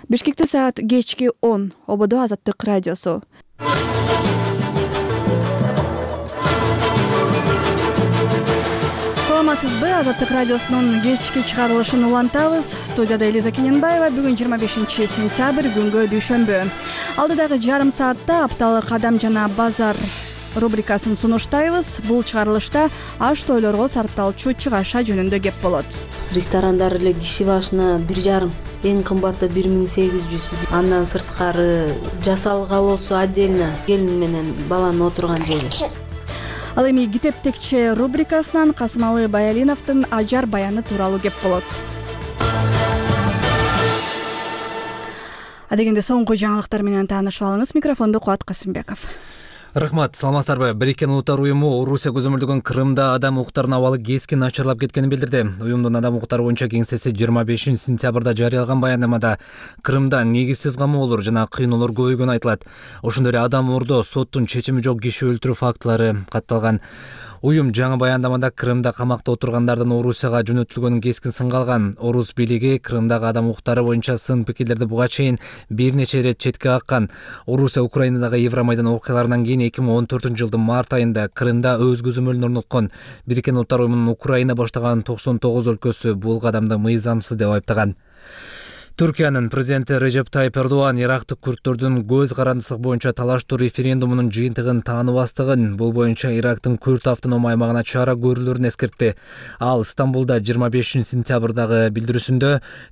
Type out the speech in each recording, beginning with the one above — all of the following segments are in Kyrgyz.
Бишкекте саат кечки 10. Ободо Азаттык радиосу. Саламатсызбы? Азаттык радиосунун кечки чыгарылышын улантабыз. Студияда Элиза Кененбаева. Бүгүн 25 сентябрь, күнгө дүйшөмбү. Алдыдагы жарым саатта апталык Адам жана базар рубрикасын сунуштайбыз. Бул чыгарылышта аш тойлорго сарпталчу чыгаш жөнүндө кеп болот. Ресторандар эле киши башына 1,5, эң кымбаты 1800. Андан сырткары жасалгалоосу отдельно, келин менен баланын отурган жери. Ал эми китептекче рубрикасынан Касымалы Баялиновдун ажар баяны тууралуу кеп болот. Адегенде соңку жаңылыктар менен таанышып алыңыз. Микрофонду Кубат Касымбеков. Рахмат, саламатсыздарбы? Бириккен Улуттар уюму Орусия көзөмөлдөгөн Крымда адам укуктарынын абалы кескин начарлап кеткенин билдирди. Уюмдун адам укуктары боюнча кеңсеси 25 сентябрда жарыялаган баяндамада Крымда негизсиз камоолор жана кыйноолор көбөйгөнү айтылат. Ошондой эле адам уурдоо, соттун чечими жок киши өлтүрүү фактылары катталган. Уюм жаңы баяндамада Крымда камакта отургандардын Орусияга жөнөтүлгөнүн кескин сынга алган. Орус бийлиги Крымдагы адам укуктары боюнча сын пикирлерди буга чейин бир нече ирет четке каккан. Орусия Украинадагы Евромайдан окуяларынан кийин 2014-жылдын март айында Крымда өз көзөмөлүн орноткон. Бириккен Улуттар уюмунун Украина баштаган 99 өлкөсү бул кадамды мыйзамсыз деп айыптаган. Түркиянын президенти Режеп Тайип Эрдоган ирактык күрттөрдүн көз карандысылык боюнча талаштуу референдумунун жыйынтыгын тааныбастыгын, бул боюнча Ирактын Күрт автоном аймагына чара көрүүлөрүн эскертти. Ал Стамбулда 25 сентябрдагы билдирүүсүндө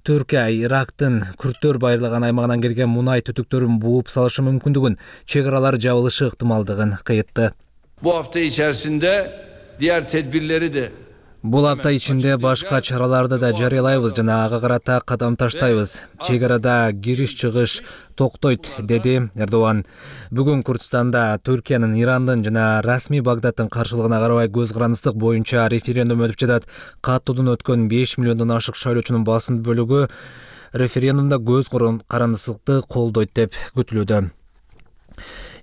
Түркия Ирактын күрттөр байырлаган аймагынан келген мунай түтүктөрүн бууп салышы мүмкүндүгүн, чек аралар жабылышы ыктымалдыгын кыйтты. Bu hafta içerisinde diğer tedbirleri de Бул апта ичинде башка чараларды да жарыялайбыз жана ага карата кадам таштайбыз. Чек арада кириш-чыгыш токтойт, деди Эрдоган. Бүгүн Курдистанда Түркиянын, Ирандын жана расмий Багдадтын каршылыгына карабай көз карандысылык боюнча референдум өтүп жатат. Каттоодон өткөн 5 миллиондон ашык шайлоочунун басым бөлүгү референдумда көз карандысылыкты колдойт деп күтүлүүдө.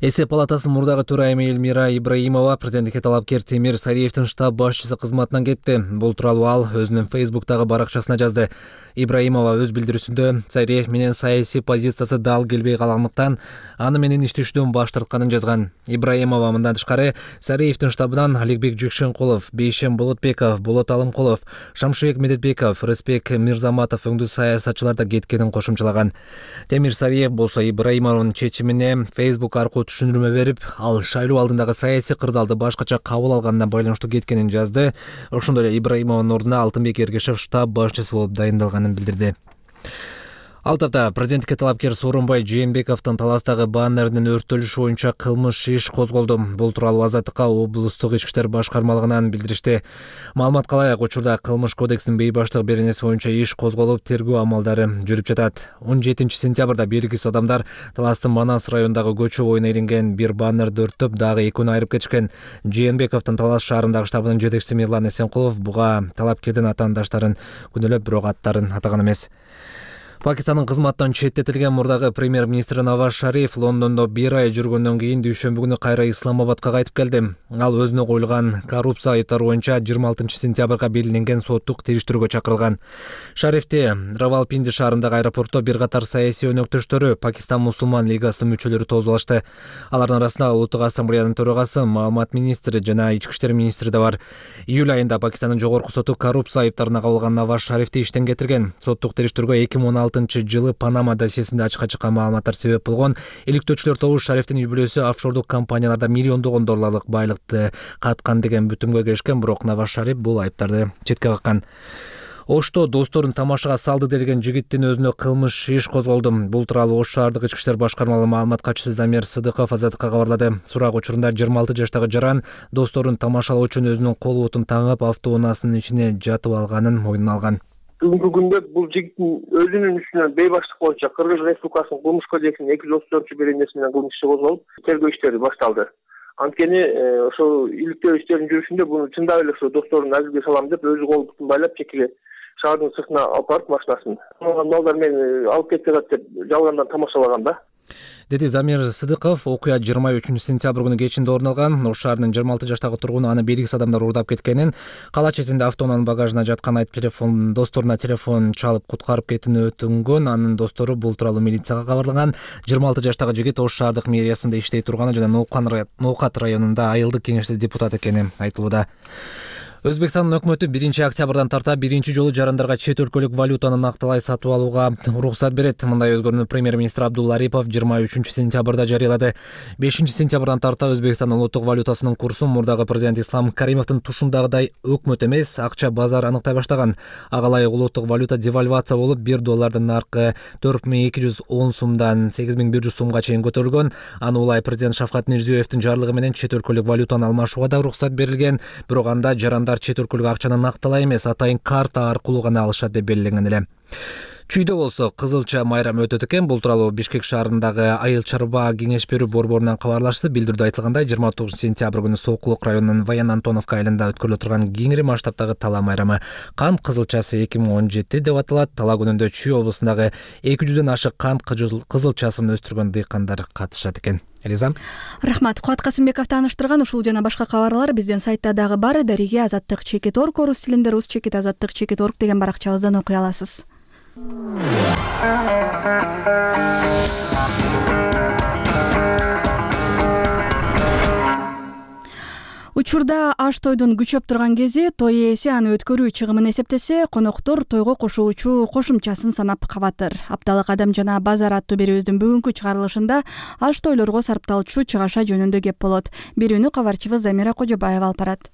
Эсеп палатасынын мурдагы төрайымы Эльмира Ибраимова президенттикке талапкер Темир Сариевдин штаб башчысы кызматынан кетти. Бул тууралуу ал өзүнүн Фейсбуктагы баракчасына жазды. Ибраимова өз билдирүүсүндө Сариев менен саясий позициясы дал келбей калгандыктан аны менен иштешүүдөн баш тартканын жазган. Ибраимова мындан тышкары Сариевдин штабынан Аликбек Жекшенкулов, Бейшем Болотбеков, Болот Алымкулов, Шамшыбек Медетбеков, Рыспек Мирзаматов өңдүү саясатчылар да кеткенин кошумчалаган. Темир Сариев болсо Ибраимованын чечимине Фейсбук аркылуу түшүндүрмө берип, ал шайлоо алдындагы саясий кырдаалды башкача кабыл алганына байланыштуу кеткенин жазды. Ошондой эле Ибраимованын ордуна Алтынбек Эргешев штаб башчысы болуп дайындалганын билдирди. Ал тапта президенттикке талапкер Сооронбай Жээнбековдун таластагы баннердин өрттөлүшү боюнча кылмыш иш козголду. Бул тууралуу Азаттыкка облустук ички иштер башкармалыгынан билдиришти. Маалыматка ылайык, учурда кылмыш кодексинин бейбаштык беренеси боюнча иш козголуп, тергөө амалдары жүрүп жатат. 17 сентябрда белгисиз адамдар таластын Манас районундагы көчө боюна илинген бир баннерди өрттөп, дагы экөөнү айырып кетишкен. Жээнбековдун Талас шаарындагы штабынын жетекчиси Мирлан Эсенкулов буга талапкердин атаандаштарын күнөөлөп, бирок аттарын атаган эмес. Пакистандын кызматтан четтетилген мурдагы премьер-министр Наваз Шариф Лондондо 1 ай жүргөндөн кийин дүйшөмбү күнү кайра Исламабадка кайтып келди. Ал өзүнө коюлган коррупция айыптары боюнча 26 сентябрга белгиленген соттук териштирүүгө чакырылган. Шарифти Равалпинди шаарындагы аэропортто бир катар саясий өнөктөштөрү, Пакистан мусулман лигасынын мүчөлөрү тосуп алышты. Алардын арасында Улуттук ассамблеянын төрагасы, маалымат министри жана ички иштер министри да бар. Июль айында Пакистандын жогорку соту коррупция айыптарына кабылган Наваз Шарифти иштен кетирген. Соттук териштирүүгө 2016 жылы Панама досьесинде ачыкка чыккан маалыматтар себеп болгон. Иликтөөчүлөр тобу Шарифтин үй бүлөсү офшордук компанияларда миллиондогон долларлык байлыкты каткан деген бүтүмгө келишкен, бирок Наваз Шариф бул айыптарды четке каккан. Ошто досторун тамашага салды делген жигиттин өзүнө кылмыш иш козголду. Бул тууралуу Ош шаардык ички иштер башкармалыгынын маалымат катчысы Замир Сыдыков Азаттыкка кабарлады. Сурак учурунда 26 жаштагы жаран досторун тамашалоо үчүн өзүнүн кол бутун таңып, автоунаасынын ичине жатып алганын мойнуна алган. Бүгүнкү күндө бул жигиттин өзүнүн үстүнөн бейбаштык боюнча Кыргыз Республикасынын кылмыш кодексинин 234 беренеси менен кылмыш иши козголуп, тергөө иштери башталды. Анткени ошол иликтөө иштеринин жүрүшүндө буну чындап эле ошо досторун азилге салам деп өзү кол бутун байлап чекиле шаардын сыртына алып барып машинасын. Малдар мени алып кетип атат деп жалгандан тамашалаган да. деди Замир Сыдыков. Окуя 23 сентябрь күнү кечинде орун алган. Ош шаарынын 26 жаштагы тургуну аны белгисиз адамдар уурдап кеткенин, кала четинде автоунаанын багажына жаткан айтып досторуна телефон чалып куткарып кетүүнү өтүнгөн. Анын достору бул тууралуу милицияга кабарлаган. 26 жаштагы жигит Ош шаардык мэриясында иштей турганы жана Ноокат районунда айылдык кеңеште депутат экени айтылууда. Өзбекстандын өкмөтү 1-октябрдан тарта биринчи жолу жарандарга чет өлкөлүк валютаны накталай сатып алууга уруксат берет. Мындай өзгөрүүнү премьер-министр Абдулла Арипов 23 сентябрда жарыялады. 5 сентябрдан тарта Өзбекстандын улуттук валютасынын курсу мурдагы президент Ислам Каримовдун тушундагыдай өкмөт эмес, акча базар аныктай баштаган. Ага ылайык улуттук валюта девальвация болуп, $1 наркы 4210 сумдан 8100 сумга чейин көтөрүлгөн. Аны улай президент Шавкат Мирзиёевдин жарлыгы менен чет өлкөлүк валютаны алмашууга да уруксат берилген. Бирок анда жарандар чет өлкөлүк акчаны накталай эмес, атайын карта аркылуу гана алышат деп белгиленген эле. Чүйдө болсо кызылча майрамы өтөт экен. Бул тууралуу Бишкек шаарындагы Айыл чарба кеңеш берүү борборунан кабарлашты. Билдирүүдө айтылгандай, 29 сентябрь күнү Сокулук районунун Воен Антоновка айылында өткөрүлө турган кеңири масштабтагы тала майрамы кант кызылчасы 2017 деп аталат. Тала күнүндө Чүй облусундагы 200дөн ашык кант кызылчасын өстүргөн дыйкандар катышат экен. Элиза. Рахмат. Кубат Касымбеков тааныштырган ушул жана башка кабарлар биздин сайтта дагы бар. Дариге @azаттык_org орус тилинде rus_azаттык_org деген баракчабыздан окуй аласыз. Учурда аш тойдун күчөп турган кези, той ээси аны өткөрүү чыгымын эсептесе, коноктор тойго кошуучу кошумчасын санап кабатыр. Апталык адам жана базар аттуу берүүбүздүн бүгүнкү чыгарылышында аш тойлорго сарпталчу чыгаша жөнүндө кеп болот. Берүүнү кабарчыбыз Замира Кожобаева алып барат.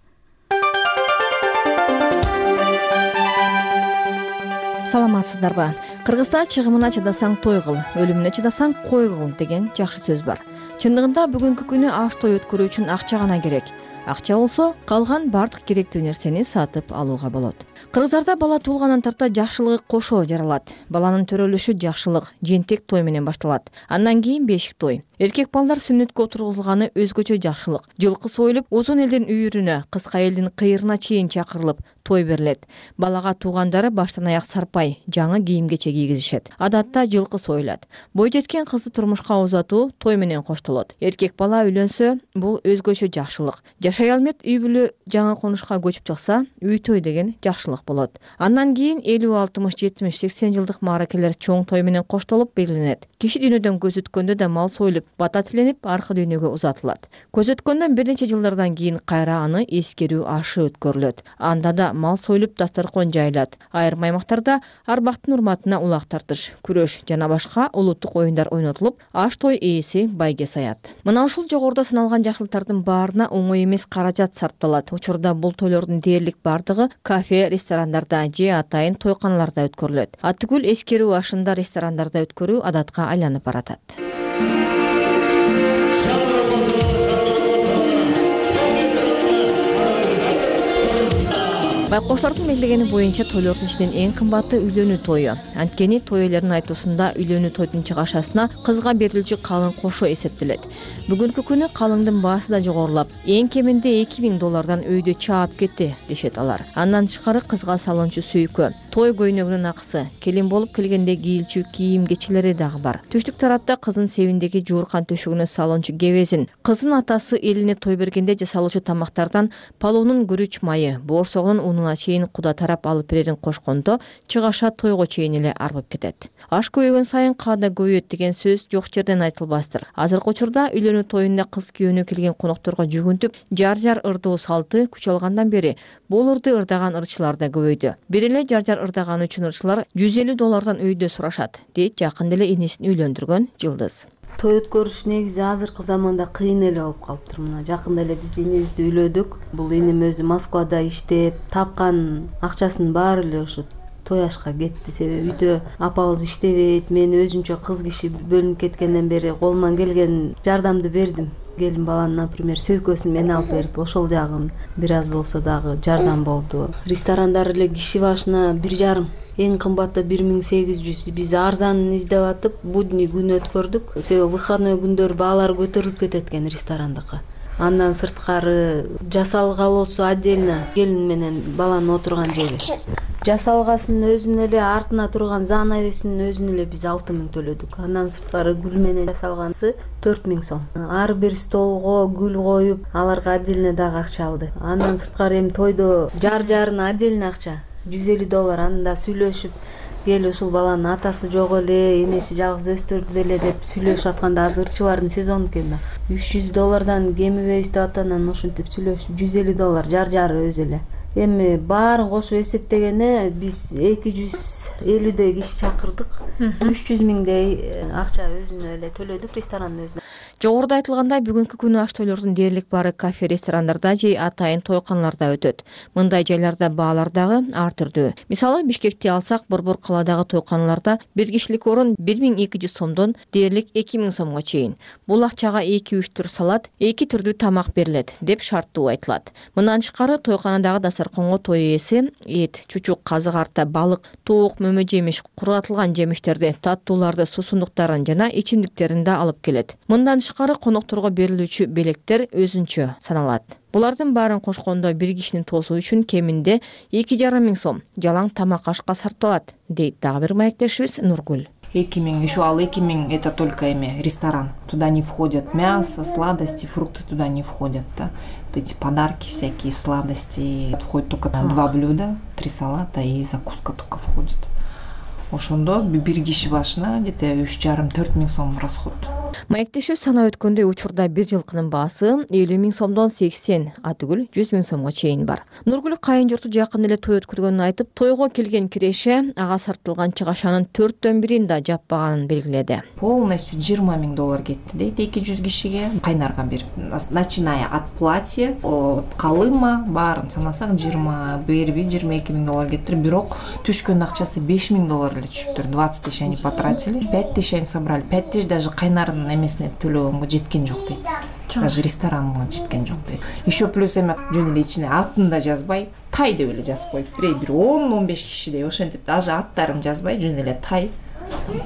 Саламатсыздарбы? Кыргызда чыгымына чыдасаң той кыл, өлүмүнө чыдасаң кой кыл деген жакшы сөз бар. Чындыгында бүгүнкү күнү аш той өткөрүү үчүн акча гана керек. Акча болсо, калган бардык керектүү нерсени сатып алууга болот. Кыргыздарда бала туулгандан тарта жакшылыгы кошо жаралат. Баланын төрөлүшү жакшылык, жентек той менен башталат. Андан кийин бешик той. Эркек балдар сүннөткө отургузулганы өзгөчө жакшылык. Жылкы союлуп, узун элдин үйүрүнө, кыска элдин кыйырына чейин чакырылып, той берилет. Балага туугандары баштан аяк сарпай, жаңы кийим-кече кийгизишет. Адатта жылкы союлат. Бой жеткен кызды турмушка узатуу той менен коштолот. Эркек бала үйлөнсө, бул өзгөчө жакшылык. Жашай алмет үй бүлө жаңы конушка көчүп чыкса, үй той деген жакшылык болот. Андан кийин 50, 60, 70, 80 жылдык мааракелер чоң той менен коштолуп белгиленет. Киши дүйнөдөн көз өткөндө да мал союлуп, бата тиленип, аркы дүйнөгө узатылат. Көз өткөндөн бир нече жылдардан кийин кайра аны эскерүү ашы өткөрүлөт. Анда да мал союлуп, дастаркон жайылат. Айрым аймактарда арбактын урматына улак тартыш, күрөш жана башка улуттук оюндар ойнотулуп, аш той ээси байге саят. Мына ушул жогоруда саналган жакшылыктардын баарына оңой эмес каражат сарпталат. Учурда бул тойлордун дээрлик бардыгы кафе, ресторандарда же атайын тойканаларда өткөрүлөт. Атүгүл эскерүү ашында ресторандарда өткөрүү адатка айланып баратат. Байкоштардын белгилегени боюнча тойлордун ичинен эң кымбаты үйлөнүү тою. Анткени той ээлеринин айтуусунда үйлөнүү тойдун чыгашасына кызга берилүүчү калың кошо эсептелет. Бүгүнкү күнү калыңдын баасы да жогорулап, эң кеминде $2000 өйдө чаап кетти дешет алар. Андан тышкары кызга салынчу сүйкө, той көйнөгүнүн акысы, келин болуп келгенде кийилчү кийим-кечелери дагы бар. Түштүк тарапта кыздын себиндеги жууркан төшөгүнө салынчу кебезин, кыздын атасы элине той бергенде жасалуучу тамактардан палоонун күрүч майы, боорсогунун унуна чейин куда тарап алып берерин кошкондо чыгаша тойго чейин эле арбып кетет. Аш көбөйгөн сайын каада көбөйөт деген сөз жок жерден айтылбастыр. Азыркы учурда үйлөнүү тоюнда кыз күйөөнү келген конокторго жүгүнтүп, жар-жар ырдоо салты күч алгандан бери бул ырды ырдаган ырчылар да көбөйдү. Бир эле жар-жар ырдаган үчүн ырчылар $150 өйдө сурашат, дейт жакында эле энесин үйлөндүргөн Жылдыз. Той өткөрүш негизи азыркы заманда кыйын эле болуп калыптыр. Мына жакында эле биз энебизди үйлөдүк. Бул энем өзү Москвада иштеп, тапкан акчасынын баары эле ушу той ашка кетти. Себеби үйдө апабыз иштебейт. Мен өзүмчө кыз киши бөлүнүп кеткенден бери колуман келген жардамды бердим. Келин баланын, например, сөйкөсүн мен алып берип, ошол жагын бир аз болсо дагы жардам болду. Ресторандар эле киши башына 1,5, эң кымбаты 1800. Биз арзанын издеп атып, будний күн өткөрдүк. Себеби выходной күндөр баалар көтөрүлүп кетет экен ресторандыкка. Андан сырткары жасалгалоосу отдельно, келин менен баланын отурган жери. Жасалгасынын өзүнө эле артына турган занавесинин өзүнө эле биз 6000 төлөдүк. Андан сырткары гүл менен жасалганысы 4000 сом. Ар бир столго гүл коюп, аларга отдельно дагы акча алды. Андан сырткары эми тойдо жар-жарына отдельно акча $150. Анда сүйлөшүп, кел ушул баланын атасы жок эле, энеси жалгыз өстүрдү деле деп сүйлөшүп атканда, азыр ырчылардын сезону экен да. $300 кемибейбиз деп атанан ошентип сүйлөшүп $150 жар-жары өзү эле. Эми баарын кошуп эсептегенде биз 250 киши чакырдык. 300 миңдей акча өзүнө эле төлөдүк ресторандын өзүнө. Жогоруда айтылгандай, бүгүнкү күнү аш тойлордун дээрлик баары кафе, ресторандарда же атайын тойканаларда өтөт. Мындай жайларда баалар дагы ар түрдүү. Мисалы, Бишкекти алсак, борбор калаадагы тойканаларда бир кишилик орун 1200 сомдон дээрлик 2000 сомго чейин. Бул акчага 2-3 түр салат, 2 түрдүү тамак берилет деп шарттуу айтылат. Мындан тышкары тойканадагы дасарконго той ээси эт, чучук, казык арта, балык, туук, мөмө жемиш, кургатылган жемиштерди, таттууларды, суусундуктарын жана ичимдиктерин да алып келет. Мындан тышкары конокторго берилүүчү белектер өзүнчө саналат. Булардын баарын кошкондо бир кишинин тоосу үчүн кеминде 2500 сом жалаң тамак ашка сарпталат, дейт дагы бир маектешибиз Нургүл. 2000, еще 2000 это только ресторан. Туда не входят мясо, сладости, фрукты туда не входят. Да? Вот эти подарки, всякие сладости. Входит только 2 блюда, 3 салата и закуска только входит. Ошондо бир киши башына где-то 3,5-4 миң сом расход. Маектеши санап өткөндөй учурда бир жылкынын баасы 50 миң сомдон 80, атүгүл 100 миң сомго чейин бар. Нургүл кайын журту жакын эле той өткөргөнүн айтып, тойго келген киреше ага сартылган чыгашанын 4төн бирин да жаппаганын белгиледи. Полностью $20,000 кетти дейт 200 кишиге. Кайнарга берип, начиная от платья, от калыма баарын санасак $21-22 миң кетти. Бирок түшкөн акчасы $5,000 эле түшүптүр. 20 тысяч они потратили, 5 тысяч они собрали. 5 тысяч даже кайнардын эмесине төлөгөнгө жеткен жок дейт. Даже ресторанга жеткен жок дейт. Еще плюс эме жөн эле ичине атын да жазбай, тай деп эле жазып коюптур. Бир 10-15 кишидей ошентип даже аттарын жазбай, жөн эле тай,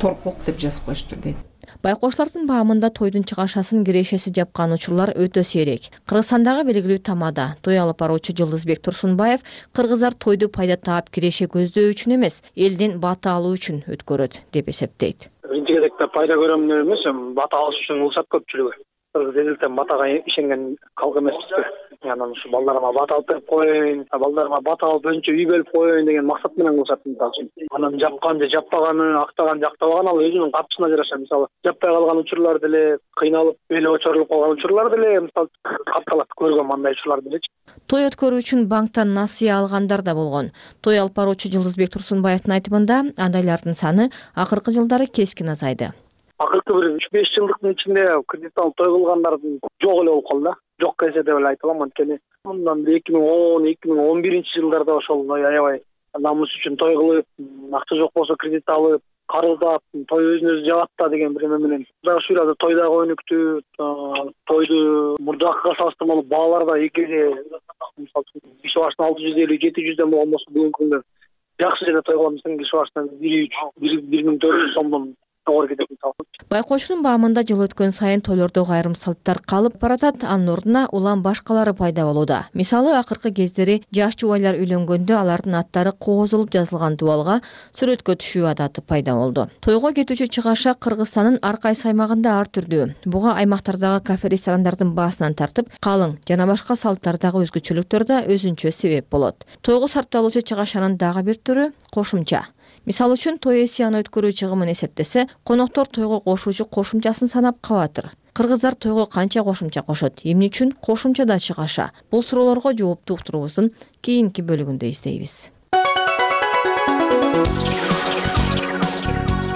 торпок деп жазып коюштур дейт. Байкоштардын баамында тойдун чыгашасын кирешеси жапкан учурлар өтө сейрек. Кыргызстандагы белгилүү тамада той алып баруучу Жылдызбек Турсунбаев кыргыздар тойду пайда таап киреше көздөө үчүн эмес, элден бата алуу үчүн өткөрөт деп эсептейт. Биринчи кезекте пайда көрөм деп эмес, бата алыш үчүн кылышат көпчүлүгү. Кыргыз элден батага ишенген калк эмеспиз. Анан ушу балдарыма бата алып берип коеюн, балдарыма бата алып өзүнчө үй бөлүп коеюн деген максат менен кылышат мисалы үчүн. Анан жапкан же жаппаганы, актаган же актабаган ал өзүнүн катчысына жараша. Мисалы, жаппай калган учурлар деле, кыйналып, эли очорулуп калган учурлар деле мисалы катталат, көргөм мындай учурлар делечи. Той өткөрүү үчүн банктан насыя алгандар да болгон. Той алып баруучу Жылдызбек Турсунбаевдин айтымында андайлардын саны акыркы жылдары кескин азайды. Акыркы бир 3-5 жылдыктын ичинде кредит алып той кылгандардын жок эле болуп калды да. Жок эсе деп эле айта алам, анткени мындан 2010-2011 жылдарда ошол аябай намыс үчүн той кылып, акча жок болсо кредит алып, карыздап, той өзүн-өзү жабат да деген бир эме менен. Дагы ушул эле той дагы өнүктү, тойду мурдакыга салыштырмалуу баалар да экиге, мисалы киши башына 650-700дөн болгон болсо бүгүнкү күндө жакшы жерде той кылган киши башына 1-1400 сомдон Байкоочунун баамында жыл өткөн сайын тойлордогу айрым салттар калып баратат, анын ордуна улам башкалары пайда болууда. Мисалы, акыркы кездери жаш жубайлар үйлөнгөндө алардын аттары коозулуп жазылган дубалга сүрөткө түшүү адаты пайда болду. Тойго кетүүчү чыгаша Кыргызстандын ар кайсы аймагында ар түрдүү. Буга аймактардагы кафе, ресторандардын баасынан тартып, калың жана башка салттардагы өзгөчөлүктөр да өзүнчө себеп болот. Тойго сарпталуучу чыгашанын дагы бир түрү кошумча. Мисалы үчүн той ээси аны өткөрүү чыгымын эсептесе, коноктор тойго кошуучу кошумчасын санап кабатыр. Кыргыздар тойго канча кошумча кошот, эмне үчүн кошумчада чыгаша? Бул суроолорго жоопту уктуруубуздун кийинки бөлүгүндө издейбиз.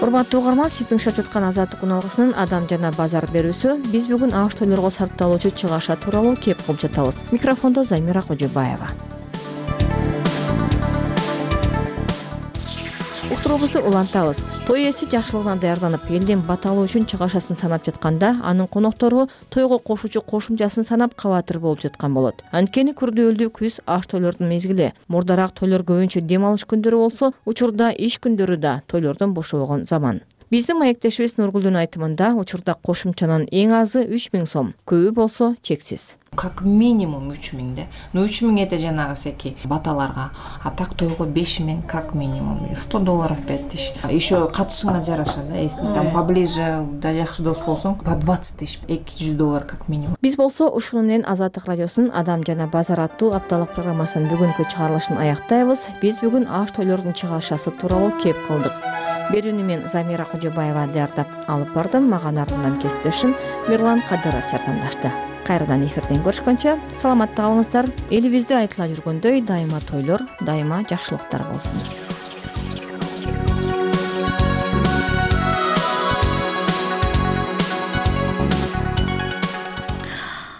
Урматтуу угарман, сиз тыңшап жаткан Азаттык уналгысынын Адам жана базар берүүсү. Биз бүгүн аш тойлорго сарпталуучу чыгаша тууралуу кеп кылып жатабыз. Микрофондо Замира Кожобаева. Уктуруубузду улантабыз. Той ээси жакшылыгына даярданып, элден бата алуу үчүн чыгашасын санап жатканда, анын коноктору тойго кошуучу кошумчасын санап кабатыр болуп жаткан болот. Анткени күрдөөлдүү күз аш тойлордун мезгили. Мурдараак тойлор көбүнчө дем алыш күндөрү болсо, учурда иш күндөрү да тойлордон бошобогон заман. Биздин маектешибиз Нургүлдүн айтымында учурда кошумчанын эң азы 3000 сом, көбү болсо чексиз. Как минимум 3000 да. 3000 это жанагы всякий баталарга, а так тойго 5000 как минимум. $100 5000. Еще катышыңа жараша да. Если там поближе да жакшы дос болсоң, по 20 000, $200 как минимум. Биз болсо ушуну менен Азаттык радиосунун Адам жана базар аттуу апталык программасынын бүгүнкү чыгарылышын аяктайбыз. Биз бүгүн аш тойлордун чыгарышасы тууралуу кеп кылдык. Берүүнү мен Замира Кожобаева даярдап алып бардым. Мага артынан кесиптешим Мирлан Кадыров жардамдашты. Кайрадан эфирден көрүшкөнчө саламатта калыңыздар. Элибизде айтыла жүргөндөй дайыма тойлор, дайыма жакшылыктар болсун.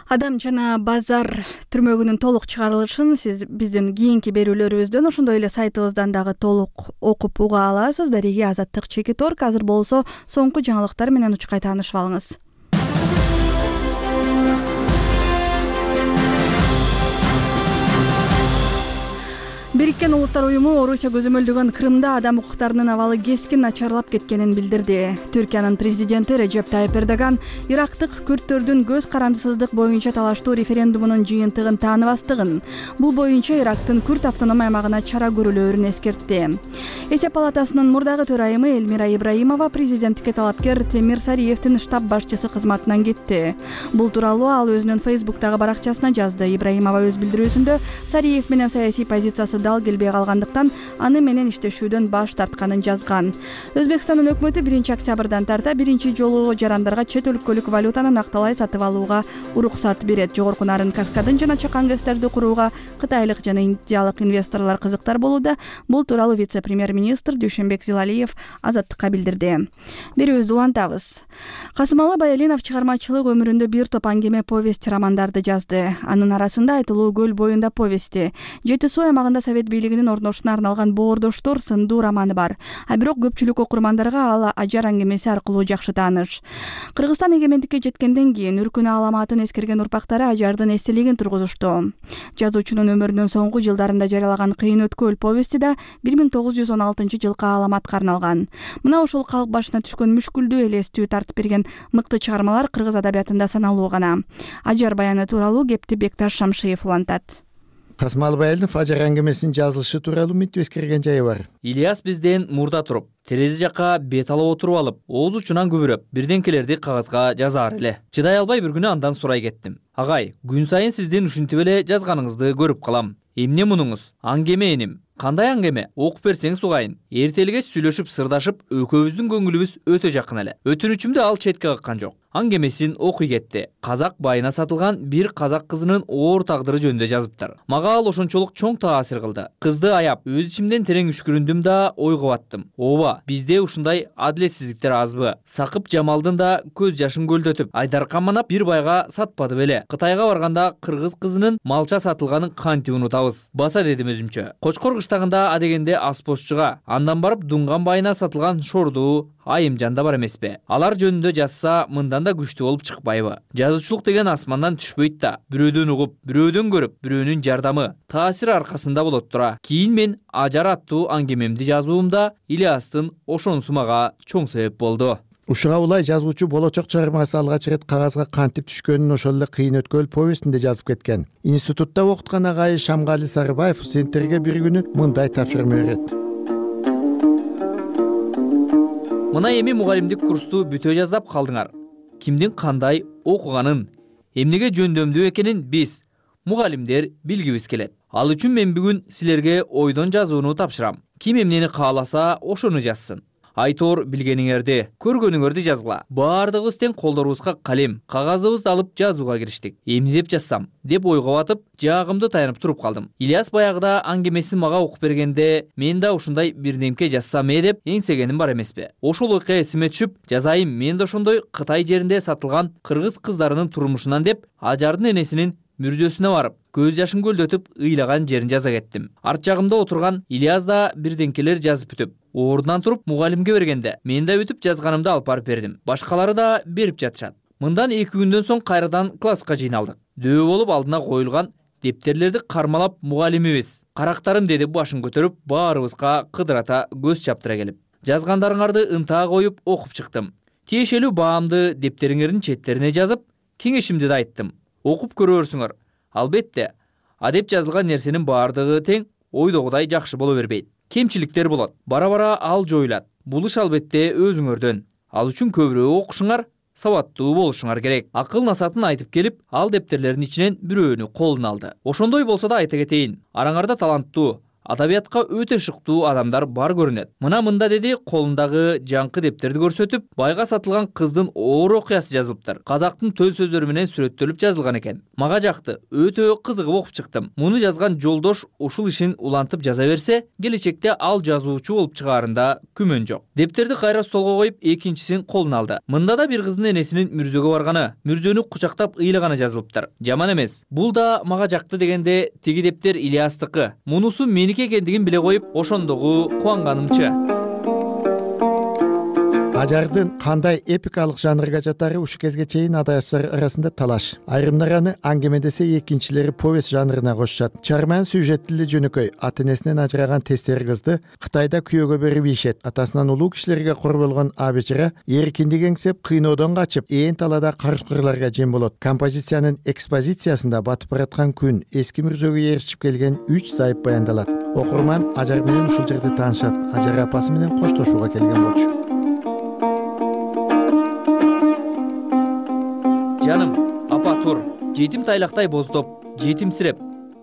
Адам жана базар түрмөгүнүн толук чыгарылышын сиз биздин кийинки берүүлөрүбүздөн ошондой эле сайтыбыздан дагы толук окуп уга аласыз. Дареги Азаттык Чекиторг. Азыр болсо соңку жаңылыктар менен учкай таанышып алыңыз. Бириккен Улуттар уюму Орусия көзөмөлдөгөн Крымда адам укуктарынын абалы кескин начарлап кеткенин билдирди. Түркиянын президенти Режеп Тайып Эрдоган ирактык күрттөрдүн көз карандысыздык боюнча талаштуу референдумунун жыйынтыгын тааныбастыгын, бул боюнча Ирактын Күрт автоном аймагына чара көрүлөөрүн эскертти. Эсеп палатасынын мурдагы төрайымы Элмира Ибраимова президенттикке талапкер Темир Сариевдин штаб башчысы кызматынан кетти. Бул тууралуу ал өзүнүн Фейсбуктагы баракчасына жазды. Ибраимова өз билдирүүсүндө Сариев менен саясий позициясы дал келбей калгандыктан аны менен иштешүүдөн баш тартканын жазган. Өзбекстандын өкмөтү 1-октябрдан тарта биринчи жолу жарандарга чет өлкөлүк валютаны накталай сатып алууга уруксат берет. Жогорку нарын каскадын жана чакан гэстерди курууга кытайлык жана индиялык инвесторлор кызыктар болууда. Бул тууралуу вице-премьер-министр Дүйшөнбек Зилалиев Азаттыкка билдирди. Берүүбүздү улантабыз. Касымалы Баялинов чыгармачылык өмүрүндө бир топ аңгеме, повесть, романдарды жазды. Анын арасында Айтылуу көл боюнда повести, Жети суу аймагында Совет бийлигинин орношуна арналган Боордоштор сындуу романы бар. А бирок көпчүлүк окурмандарга ал Ажар аңгемеси аркылуу жакшы тааныш. Кыргызстан эгемендикке жеткенден кийин үркүнө аламатын эскерген урпактары Ажардын эстелигин тургузушту. Жазуучунун өмүрүнүн соңку жылдарында жарыялаган Кыйын өткөл повести да 1916-жылкы аламатка арналган. Мына ушул калк башына түшкөн мүшкүлдүү элестүү тартып берген мыкты чыгармалар кыргыз адабиятында саналуу гана. Ажар баяны тууралуу кепти Бекташ Шамшиев улантат. Касымалы Баялинов Ажар аңгемесинин жазылышы тууралуу мынтип эскерген жайы бар. Ильяс бизден мурда туруп, терезе жакка бет алып отуруп алып, ооз учунан күбүрөп, бирденкелерди кагазга жазаар эле. Чыдай албай бир күнү андан сурай кеттим. Агай, күн сайын сиздин ушинтип эле жазганыңызды көрүп калам. Эмне мунуңуз? Аңгеме эним. Кандай аңгеме? Окуп берсеңиз угайын. Эртелгеч сүйлөшүп, сырдашып, экөөбүздүн көңүлүбүз өтө жакын эле. Өтүнүчүмдү ал четке каккан жок. Аңгемесин окуй кетти. Казак байына сатылган бир казак кызынын оор тагдыры жөнүндө жазыптыр. Мага ал ошончолук чоң таасир кылды. Кызды аяп, өз ичимден терең үшкүрүндүм да ойго баттым. Ооба, бизде ушундай адилетсиздиктер азбы? Сакып Жамалдын да көз жашын көлдөтүп, Айдаркан манап бир байга сатпады беле? Кытайга барганда кыргыз кызынын малча сатылганын кантип унутабыз? Баса дедим өзүмчө. Кочкор кыштагында адегенде аспозчуга, андан барып Дунган байына сатылган Шордуу, Айымжан да бар эмеспи? Алар жөнүндө жазса, мындан да күчтүү болуп чыкпайбы? Жазуучулук деген асмандан түшпөйт да. Бирөөдөн угуп, бирөөдөн көрүп, бирөөнүн жардамы, таасир аркасында болот тура. Кийин мен Ажар аттуу аңгемемди жазуумда Ильястын ошонусу мага чоң себеп болду. Ушуга улай жазуучу болочок чыгармасы алгач ирет кагазга кантип түшкөнүн ошол эле Кыйын өткөл повестинде жазып кеткен. Институтта окуткан агайы Шамгали Сарыбаев студенттерге бир күнү мындай тапшырма берет. Мына эми мугалимдик курсту бүтө жаздап калдыңар. Кимдин кандай окуганын, эмнеге жөндөмдүү экенин биз, мугалимдер, билгибиз келет. Ал үчүн мен бүгүн силерге ойдон жазууну тапшырам. Ким эмнени кааласа, ошону жазсын. Айтор билгениңерди, көргөнүңөрдү жазгыла. Баардыгыбыз тең колдорубузга калем, кагазыбызды алып жазууга кириштик. Эмне деп жазсам, деп ойго батып, жаагымды таянып туруп калдым. Ильяс баягыда аңгемесин мага окуп бергенде, мен да ушундай бирдемке жазсам деп эңсегеним бар эмеспи. Ошол окуя эсиме түшүп, жазайын мен да ошондой Кытай жеринде сатылган кыргыз кыздарынын турмушунан деп, Ажардын энесинин мүрзөсүнө барып, көз жашын көлдөтүп, ыйлаган жерин жаза кеттим. Арт жагымда отурган Ильяс да бирденкелер жазып бүтүп, ордунан туруп мугалимге бергенде, мен да бүтүп жазганымды алып барып бердим. Башкалары да берип жатышат. Мындан 2 күндөн соң кайрадан класска жыйналдык. Дөбө болуп алдына коюлган дептерлерди кармалап мугалимибиз. Карактарым деди башын көтөрүп, баарыбызга кыдырата көз чаптыра келип. Жазгандарыңарды ынтаа коюп окуп чыктым. Тиешелүү баамды дептериңердин четтерине жазып, кеңешимди да айттым. Окуп көрөрсүңөр. Албетте, адеп жазылган нерсенин баардыгы тең ойдогудай жакшы боло бербейт. Кемчиликтер болот. Бара-бара ал жоюлат. Бул иш албетте өзүңөрдөн. Ал үчүн көбүрөөк окушуңар, сабаттуу болушуңар керек. Акыл насатын айтып келип, ал дептерлердин ичинен бирөөнү колуна алды. Ошондой болсо да айта кетейин, араңарда таланттуу, адабиятка өтө шыктуу адамдар бар көрүнөт. Мында деди, колундагы жаңкы дептерди көрсөтүп, байга сатылган кыздын оор окуясы жазылыптыр. Казактын төл сөздөрү менен сүрөттөлүп жазылган экен. Мага жакты, өтө кызыгып окуп чыктым. Муну жазган жолдош ушул ишин улантып жаза берсе, келечекте ал жазуучу болуп чыгаарында күмөн жок. Дептерди кайра столго коюп, экинчисин колуна алды. Мында да бир кыздын энесинин мүрзөгө барганы, мүрзөнү кучактап ыйлаганы жазылыптыр. Жаман эмес. Бул да мага жакты дегенде, тиги дептер Ильястыкы. Мунусу меники экендигин биле коюп, ошондогу кубанганымчы. Ажардын кандай эпикалык жанрга жатары ушу кезге чейин адабиятчылар арасында талаш. Айрымдар аны аңгемедесе, экинчилери повесть жанрына кошушат. Чарман сюжеттили жөнөкөй, ата энесинен ажыраган тестери кызды Кытайда күйөөгө берип ийишет. Атасынан улуу кишилерге кор болгон абечара эркиндик эңсеп, кыйноодон качып, ээн талаада карышкырларга жем болот. Композициянын экспозициясында батып бараткан күн, эски мүрзөгө ээрчип келген 3 зайып баяндалат. Окурман Ажар менен ушул жерде таанышат. Ажар апасы менен коштошууга келген болчу. Жаным, апа тур. Жетим тайлактай боздоп, жетимсиреп,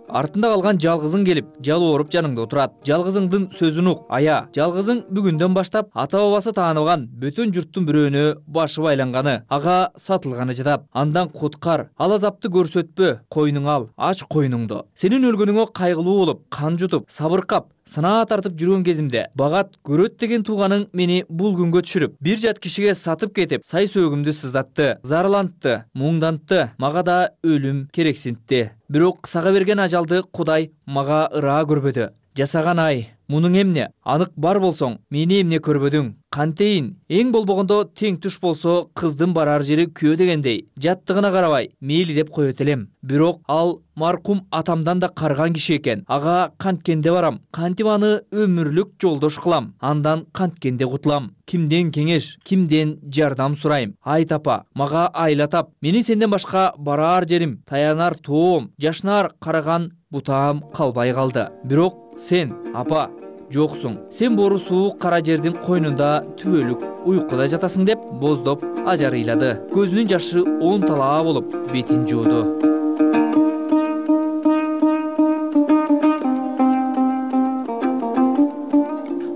артында калган жалгызың келип, жалооруп жаныңда отурат. Жалгызыңдын сөзүн ук, ая. Жалгызың бүгүндөн баштап ата бабасы тааныбаган бөтөн журттун бирөөнө башы байланганы, ага сатылганы жатат. Андан куткар, ал азапты көрсөтпө, койнуң ал, ач койнуңду. Сенин өлгөнүңө кайгылуу болуп, кан жутуп, сабыркап, сынаа тартып жүргөн кезимде багат көрөт деген тууганың мени бул күнгө түшүрүп, бир жат кишиге сатып кетип, сай сөөгүмдү сыздатты, зарлантты, муңдантты, мага да өлүм керексинтти. Бирок кысага берген ажалды Кудай мага ыраа көрбөдү. Жасаган ай, мунуң эмне? Анык бар болсоң, мени эмне көрбөдүң? Кантейин, эң болбогондо тең туш болсо, кыздын барар жери күйөө дегендей, жаттыгына карабай, мейли деп коет элем. Бирок ал маркум атамдан да карган киши экен. Ага канткенде барам, кантип аны өмүрлүк жолдош кылам, андан канткенде кутулам. Кимден кеңеш, кимден жардам сурайм? Айт апа, мага айла тап. Менин сенден башка барар жерим, таянар тоом, жашнар караган бутаам калбай калды. Бирок сен, апа, жоксуң. Сен бору суук кара жердин койнунда түбөлүк уйкуда жатасың деп боздоп Ажар ыйлады. Көзүнүн жашы 10 талаа болуп бетин жууду.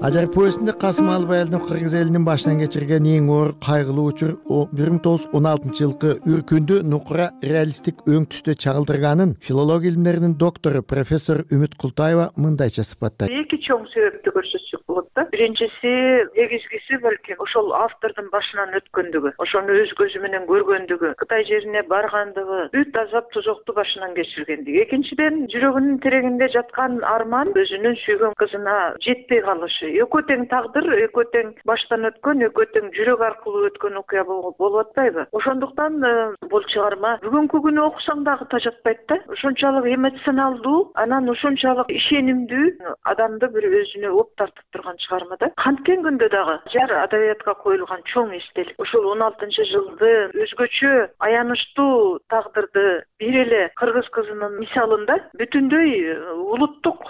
Ажар повестинде Касым Албай элдин кыргыз элинин башынан кечирген эң оор кайгылуу учур 1916-жылкы Үркүндү нукура реалисттик өң түстө чагылдырганын филология илимдеринин доктору профессор Үмүт Култаева мындайча сыпаттайт. Эки чоң себепти көрсөтсөк болот да. Биринчиси, негизгиси балким ошол автордун башынан өткөндүгү, ошону өз көзү менен көргөндүгү, Кытай жерине баргандыгы, бүт азап тозокту башынан кечиргендиги. Экинчиден, жүрөгүнүн терегинде жаткан арман өзүнүн сүйгөн кызына жетпей калышы. Экөө тең тагдыр, экөө тең баштан өткөн, экөө тең жүрөк аркылуу өткөн окуя болуп атпайбы? Ошондуктан бул чыгарма бүгүнкү күнү окусаң дагы тажатпайт да. Ошончолук эмоционалдуу, анан ошончолук ишенимдүү, адамды бир өзүнө оп тартып турган чыгарма да. Канткен күндө дагы Ажар адабиятка коюлган чоң эстелик. Ошол 16-жылды өзгөчө аянычтуу тагдырды бир эле кыргыз кызынын мисалында бүтүндөй улуттук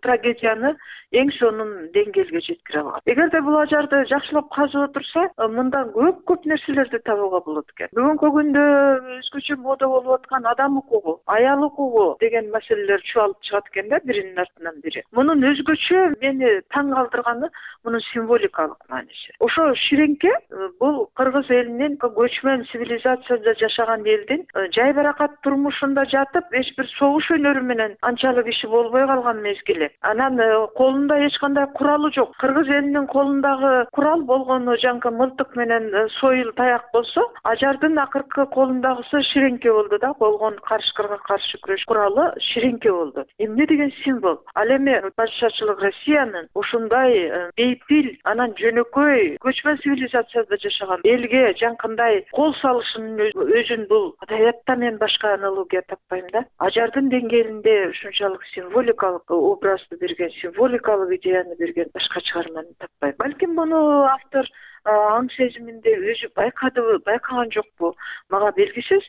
трагедияны эң сонун деңгээлге жеткире алат. Эгерде бул Ажарды жакшылап казып отурса, мындан көп нерселерди табууга болот экен. Бүгүнкү күндө өзгөчө мода болуп аткан адам укугу, аял укугу деген маселелер чуалып чыгат экен да, биринин артынан бири. Мунун өзгөчө мени таң калтырганы мунун символикалык мааниси. Ошо ширеңке бул кыргыз элинин көчмөн цивилизацияда жашаган элдин жайбаракат турмушунда жатып, эч бир согуш өнөрү менен анчалык иши болбой калган мезгили. Анан колунда эч кандай куралы жок. Кыргыз элинин колундагы курал болгону жаңкы мылтык менен сойыл таяк болсо, Ажардын акыркы колундагысы ширеңке болду да, болгон карышкырга каршы күрөш куралы ширеңке болду. Эмне деген символ? Ал эми падышачылык Россиянын ушундай бейпил, анан жөнөкөй көчмөн цивилизацияда жашаган элге жаңкындай кол салышынын өзүн бул адабиятта мен башка аналогия таппайм да. Ажардын деңгээлинде ушунчалык символикалык образды берген, символикалык идеяны берген башка чыгарманы таппайм. Балким муну автор аң сезиминде өзү байкадыбы, байкаган жокпу, мага белгисиз.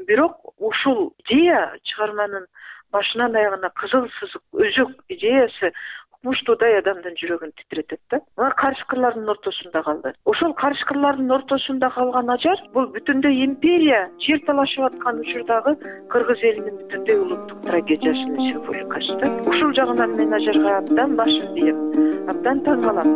Бирок ушул идея чыгарманын башынан аягына кызыл сызык, өзөк идеясы укмуштуудай адамдын жүрөгүн титиретет да. Мына карышкырлардын ортосунда калды. Ошол карышкырлардын ортосунда калган Ажар бул бүтүндөй империя жер талашып аткан учурдагы кыргыз элинин бүтүндөй улуттук трагедиясынын символикасы да. Ушул жагынан мен Ажарга абдан башым ийем, абдан таң калам.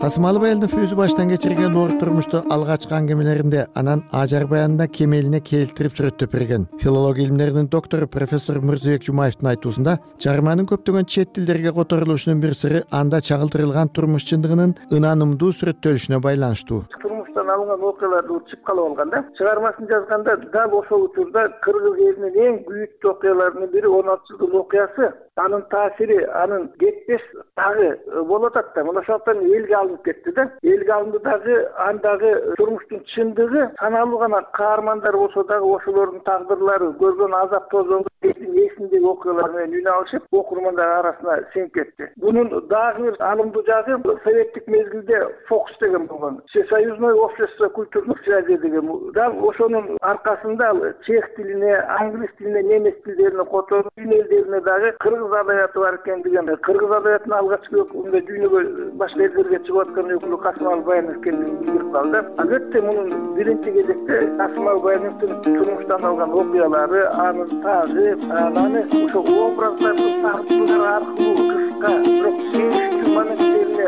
Касымалы Баялынов өзү баштан кечирген оор турмушту алгачкы аңгемелеринде анан Ажар баянында кемелине келтирип сүрөттөп берген. Филология илимдеринин доктору профессор Мырзыбек Жумаевдин айтуусунда чыгарманын көптөгөн чет тилдерге которулушунун бир сыры анда чагылдырылган турмуш чындыгынын ынанымдуу сүрөттөлүшүнө байланыштуу. Турмуштан алынган окуяларды чып калып алган да. Чыгармасын жазганда дал ошол учурда кыргыз элинин эң күйүктүү окуяларынын бири 16-жылдын окуясы. Анын таасири, анын кетпес дагы болуп атат да. Мына ошондон элге алынып кетти да. Элге алынды дагы андагы турмуштун чындыгы саналуу гана каармандар болсо дагы ошолордун тагдырлары, көргөн азап тозондо эсиндеги окуялар менен үн алышып, окурмандар арасына сиңип кетти. Бунун дагы бир алымдуу жагы советтик мезгилде ФОКС деген болгон. Всесоюзное общество культурных связей деген. Дал ошонун аркасында чех тилине, англис тилине, немец тилдерине которуп, дүйнө элдерине дагы кыргыз адабияты бар экендигин, кыргыз адабиятынын алгачкы өкүлүндө дүйнөгө башка элдерге чыгып аткан өкүлү Касымалы Баянов экендигин билдирип калды. Албетте мунун биринчи кезекте Касымалы Баяновдун турмуштан алган окуялары, анын тагы, ананы ошо образдардын тартуулары аркылуу кыска, бирок сүйүнүчтүү моменттерине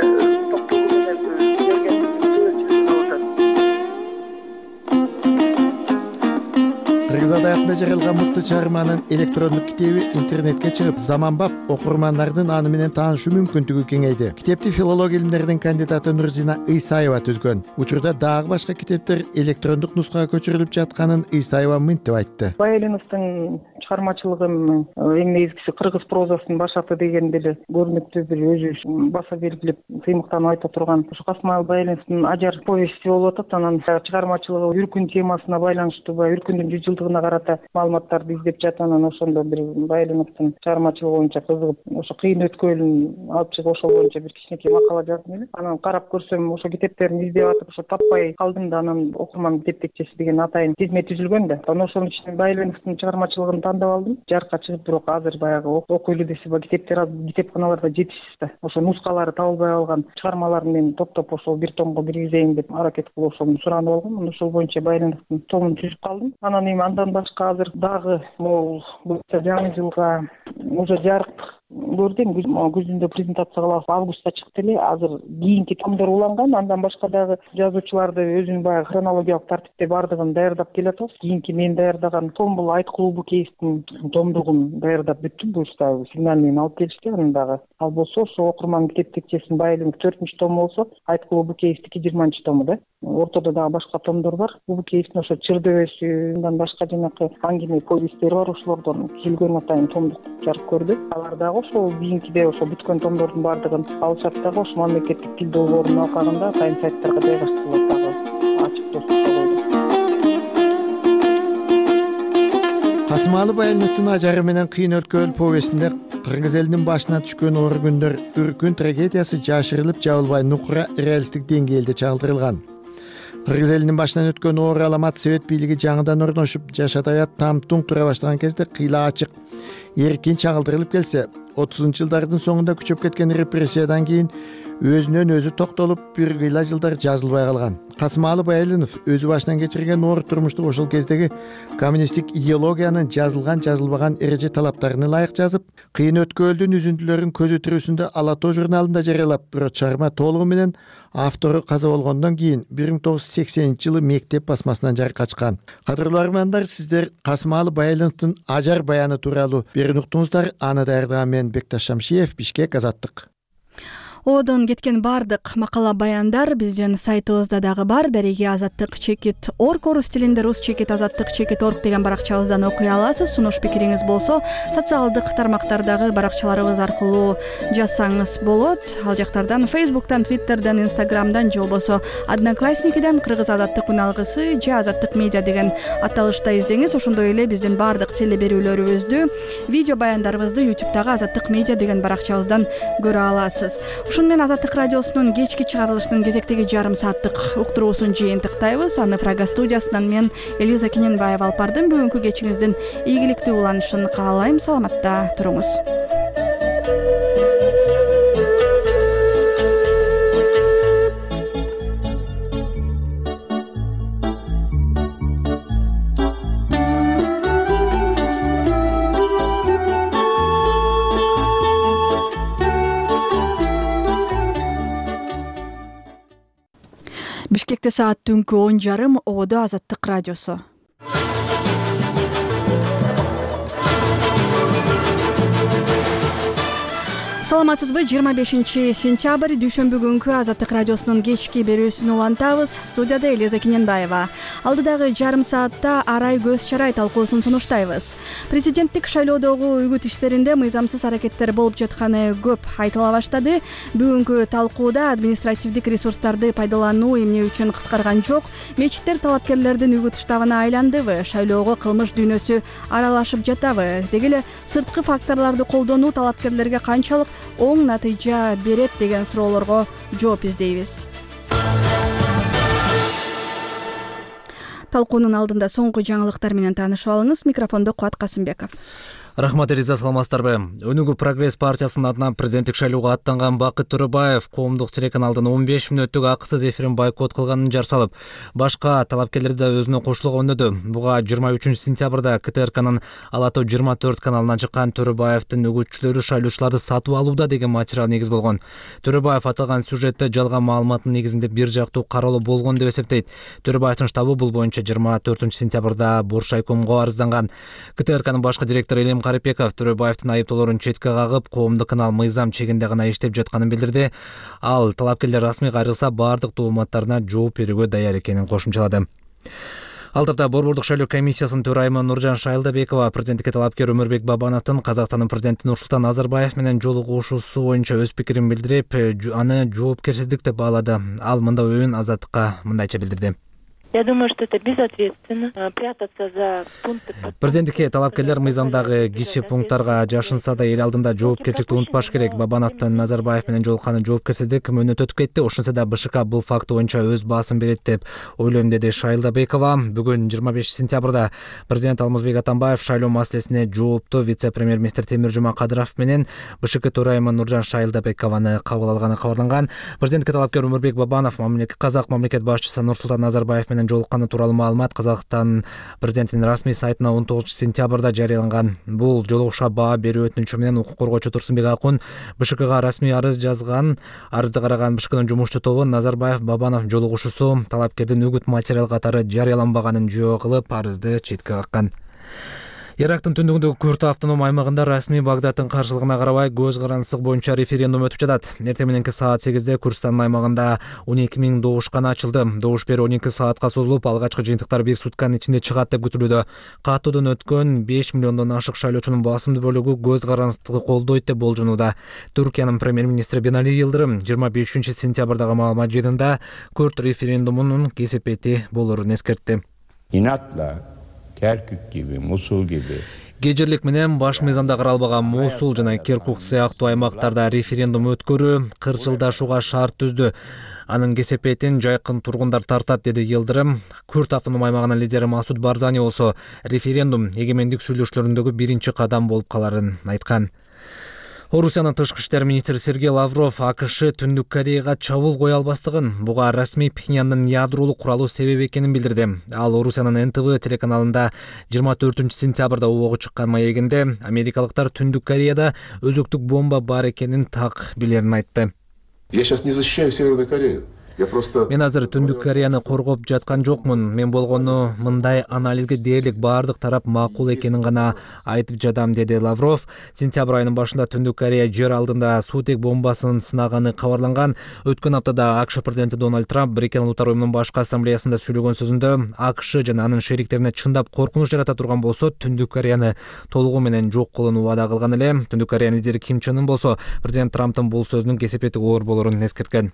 токтолуу менен берген Кыргыз адабиятында жаралган мыкты чыгарманын электрондук китеби интернетке чыгып, заманбап окурмандардын аны менен таанышуу мүмкүндүгү кеңейди. Китепти филология илимдеринин кандидаты Нурзина Ыйсаева түзгөн. Учурда дагы башка китептер электрондук нускага көчүрүлүп жатканын Ыйсаева мынтип айтты. Баялыновдун чыгармачылыгын эң негизгиси кыргыз прозасынын башаты деген деле көрүнүктүү бир өзү баса белгилеп сыймыктанып айта турган ушу Касымалы Баялыновдун Ажар повести болуп атат. Анан чыгармачылыгы үркүн темасына байланыштуу, үркүндүн 100 жылдыгына карата маалыматтарды издеп жатат. Анан ошондо бир Баялыновдун чыгармачылыгы боюнча кызыгып, ошо кыйын өткөлүн алып чыгып, ошол боюнча бир кичинекей макала жаздым эле. Анан карап көрсөм, ошо китептерин издеп атып, ошо таппай калдым да, анан окурман китептекчеси деген атайын тизме түзүлгөн да. Анан ошонун ичинен Баялыновдун чыгармачылыгын тандап алдым. Жарыкка чыгып, бирок азыр баягы окуйлу десе, китептер китепканаларда жетишсиз да. Ошо нускалары табылбай калган чыгармаларын мен топтоп ошол бир томго киргизейин деп аракет кылып ошону суранып алгам. Анан ошол боюнча Баялыновдун томун түзүп калдым. Анан эми андан башка азыр дагы могул жаңы жылга уже жарык көрдүм, күзүндө презентация кылабыз, августта чыкты эле. Азыр кийинки томдор уланган. Андан башка дагы жазуучуларды өзүнүн баягы хронологиялык тартипте бардыгын даярдап келатабыз. Кийинки мен даярдаган том бул Айт клубу кейстин томдугун даярдап бүттүм. Буюрса сигнал менен алып келишти. Анан дагы ал болсо ошо окурман китептекчесинин Баялынов 4-том болсо, Айт клубу кейстики 20 тому да. Ортодо дагы башка томдор бар. Клубу кейстин ошо Чырдөбөсү, андан башка жанакы аңгеме повесттери бар. Ошолордон келген атайын томдук жарык көрдү. Алар дагы ошол кийинкиде ошо бүткөн томдордун баардыгын алышат дагы, ошо мамлекеттик тил долбоорунун алкагында атайын сайттарга жайгаштырылат дагы, ачык доступта болду. Касымалы Баялыновдун Ажары менен кыйын өткөл повестинде кыргыз элинин башына түшкөн оор күндөр, үркүн трагедиясы жашырылып жабылбай нукура реалисттик деңгээлде чагылдырылган. Кыргыз элинин башынан өткөн оор аламат совет бийлиги жаңыдан орношуп, жаш адабият там-туң тура баштаган кезде кыйла ачык, эркин чагылдырылып келсе, 30-жылдардын соңунда күчөп кеткен репрессиядан кийин өзүнөн өзү токтолуп, бир кыйла жылдар жазылбай калган. Касымалы Баялынов өзү башынан кечирген оор турмушту ошол кездеги коммунисттик идеологиянын жазылган жазылбаган эреже талаптарына ылайык жазып, кыйын өткөлдүн үзүндүлөрүн көзү тирүүсүндө Ала тоо журналында жарыялап, бирок чыгарма толугу менен автору каза болгондон кийин 1980-жылы мектеп басмасынан жарыкка чыккан. Кадырлуу армандар, сиздер Касымалы Баялыновдун Ажар баяны тууралуу берин уктуңуздар. Аны даярдаган мен Бекташ Шамшиев, Бишкек, Азаттык. Одон кеткен бардык макала баяндар биздин сайтыбызда дагы бар. Дареги azattik.org орус тилинде rus.azattik.org деген баракчабыздан окуй аласыз. Сунуш пикириңиз болсо социалдык тармактардагы баракчаларыбыз аркылуу жазсаңыз болот. Ал жактардан Facebook'тан, Twitter'дан, Instagram'дан же болбосо Одноклассникиден Кыргыз азаттык үналгысы же Азаттык медиа деген аталышта издеңиз. Ошондой эле биздин бардык телеберүүлөрүбүздү, видео баяндарыбызды YouTube'дагы Азаттык медиа деген баракчабыздан көрө аласыз. Ушуну менен Азаттык радиосунун кечки чыгарылышынын кезектеги жарым сааттык уктуруусун жыйынтыктайбыз. Аны Прага студиясынан мен Элиза Кененбаева алып бардым. Бүгүнкү кечиңиздин ийгиликтүү уланышын каалайм. Саламатта туруңуз. Бишкекте саат түнкү 10:30. Ободо Азаттык радиосу. Саламатсызбы? 25 сентябрь дүйшөмбү күнкү Азаттык радиосунун кечки берүүсүн улантабыз. Студияда Элиза Кененбаева. Алдыдагы жарым саатта арай көз чарай талкуусун сунуштайбыз. Президенттик шайлоодогу үгүт иштеринде мыйзамсыз аракеттер болуп жатканы көп айтыла баштады. Бүгүнкү талкууда административдик ресурстарды пайдалануу эмне үчүн кыскарган жок? Мечиттер талапкерлердин үгүт штабына айландыбы? Шайлоого кылмыш дүйнөсү аралашып жатабы? Деги эле сырткы факторлорду колдонуу талапкерлерге канчалык оң натыйжа берет деген суроолорго жооп издейбиз. Талкуунун алдында соңку жаңылыктар менен таанышып алыңыз. Микрофондо Кубат Касымбеков. Рахмат Элиза, саламатсыздарбы? Өнүгүү прогресс партиясынын атынан президенттик шайлоого аттанган Бакыт Төрөбаев коомдук телеканалдын 15 мүнөттүк акысыз эфирин бойкот кылганын жар салып, башка талапкерлерди да өзүнө кошулууга өнөдү. Буга 23 сентябрда КТРКнын Ала Тоо 24 каналынан чыккан Төрөбаевдин үгүтчүлөрү шайлоочуларды сатып алууда деген материал негиз болгон. Төрөбаев аталган сюжетте жалган маалыматтын негизинде бир жактуу кароолоо болгон деп эсептейт. Төрөбаевдин штабы бул боюнча 24 сентябрда Буршайкомго арызданган. КТРКнын башкы директору Элим Карипеков Төрөбаевдин айыптоолорун четке кагып, коомдук канал мыйзам чегинде гана иштеп жатканын билдирди. Ал талапкерлер расмий кайрылса бардык тооматтарына жооп берүүгө даяр экенин кошумчалады. Ал тапта Борбордук шайлоо комиссиясынын төрайымы Нуржан Шайлдабекова президенттикке талапкер Өмүрбек Бабановдун Казакстандын президенти Нурсултан Назарбаев менен жолугушуусу боюнча өз пикирин билдирип, аны жоопкерсиздик деп баалады. Ал мындай оюн Азаттыкка мындайча билдирди. Я думаю, что это безответственно прятаться за пункты. Президенттикке талапкерлер мыйзамдагы кичи пункттарга жашынса да эл алдында жоопкерчиликти унутпаш керек. Бабановдун Назарбаев менен жолукканы жоопкерсиздик мөөнөт өтүп кетти. Ошентсе да БШК бул факт боюнча өз баасын берет деп ойлойм, деди Шайлдабекова. Бүгүн 25 сентябрда президент Алмазбек Атамбаев шайлоо маселесине жоопту вице-премьер-министр Темиржуман Кадыров менен БШК төрайымы Нуржан Шайлдабекованы кабыл алганы кабарланган. Президентке талапкер Өмүрбек Бабанов Казак мамлекет башчысы Нурсултан Назарбаев менен жолукканы тууралуу маалымат Казакстан президентинин расмий сайтына 19 сентябрда жарыяланган. Бул жолугушууга баа берүү өтүнүчү менен укук коргоочу Турсунбек Акун БШКга расмий арыз жазган. Арызды караган БШКнын жумушчу тобу Назарбаев Бабанов жолугушуусу талапкердин үгүт материал катары жарыяланбаганын жөө кылып, арызды четке каккан. Ирактын түндүгүндөгү Күрт автоном аймагында расмий Багдадтын каршылыгына карабай көз карандысык боюнча референдум өтүп жатат. Эртең мененки саат 8-де Курдстандын аймагында 12 000 добушкана ачылды. Добуш берүү 12 саатка созулуп, алгачкы жыйынтыктар 1 сутканын ичинде чыгат деп күтүлүүдө. Каттоодон өткөн 5 миллиондон ашык шайлоочунун басымдуу бөлүгү көз карандысыкты колдойт деп болжонууда. Түркиянын премьер-министри Бинали Йылдырым 25 сентябрдагы маалымат жыйынында Күрт референдумунун кесепети болорун эскертти. İnatla Kerkük gibi, Musul gibi Кежирлик менен баш мыйзамда каралбаган Мусул жана Киркук сыяктуу аймактарда референдум өткөрүү кырчылдашууга шарт түздү. Анын кесепетин жайкын тургундар тартат, деди Йылдырым. Күрт автоном аймагынын лидери Масуд Барзани болсо референдум эгемендик сүйлөшүүлөрүндөгү биринчи кадам болуп каларын айткан. Орусиянын тышкы иштер министри Сергей Лавров АКШ Түндүк Кореяга чабуул кое албастыгын, буга расмий Пхеньяндын ядролук куралы себеп экенин билдирди. Ал Орусиянын НТВ телеканалында 24 сентябрда убогу чыккан маегинде америкалыктар Түндүк Кореяда өзөктүк бомба бар экенин так билерин айтты. Я сейчас не защищаю Северную Корею. Мен азыр Түндүк Кореяны коргоп жаткан жокмун. Мен болгону мындай анализге дээрлик баардык тарап макул экенин гана айтып жатам, деди Лавров. Сентябрь айынын башында Түндүк Корея жер алдында суутек бомбасын сынаганы кабарланган. Өткөн аптада АКШ президенти Дональд Трамп Бириккен Улуттар уюмунун башкы ассамблеясында сүйлөгөн сөзүндө АКШ жана анын шериктерине чындап коркунуч жарата турган болсо Түндүк Кореяны толугу менен жок кылууну убада кылган эле. Түндүк Кореянын лидери Ким Чен Ын болсо президент Трамптын бул сөзүнүн кесепети оор болорун эскерткен.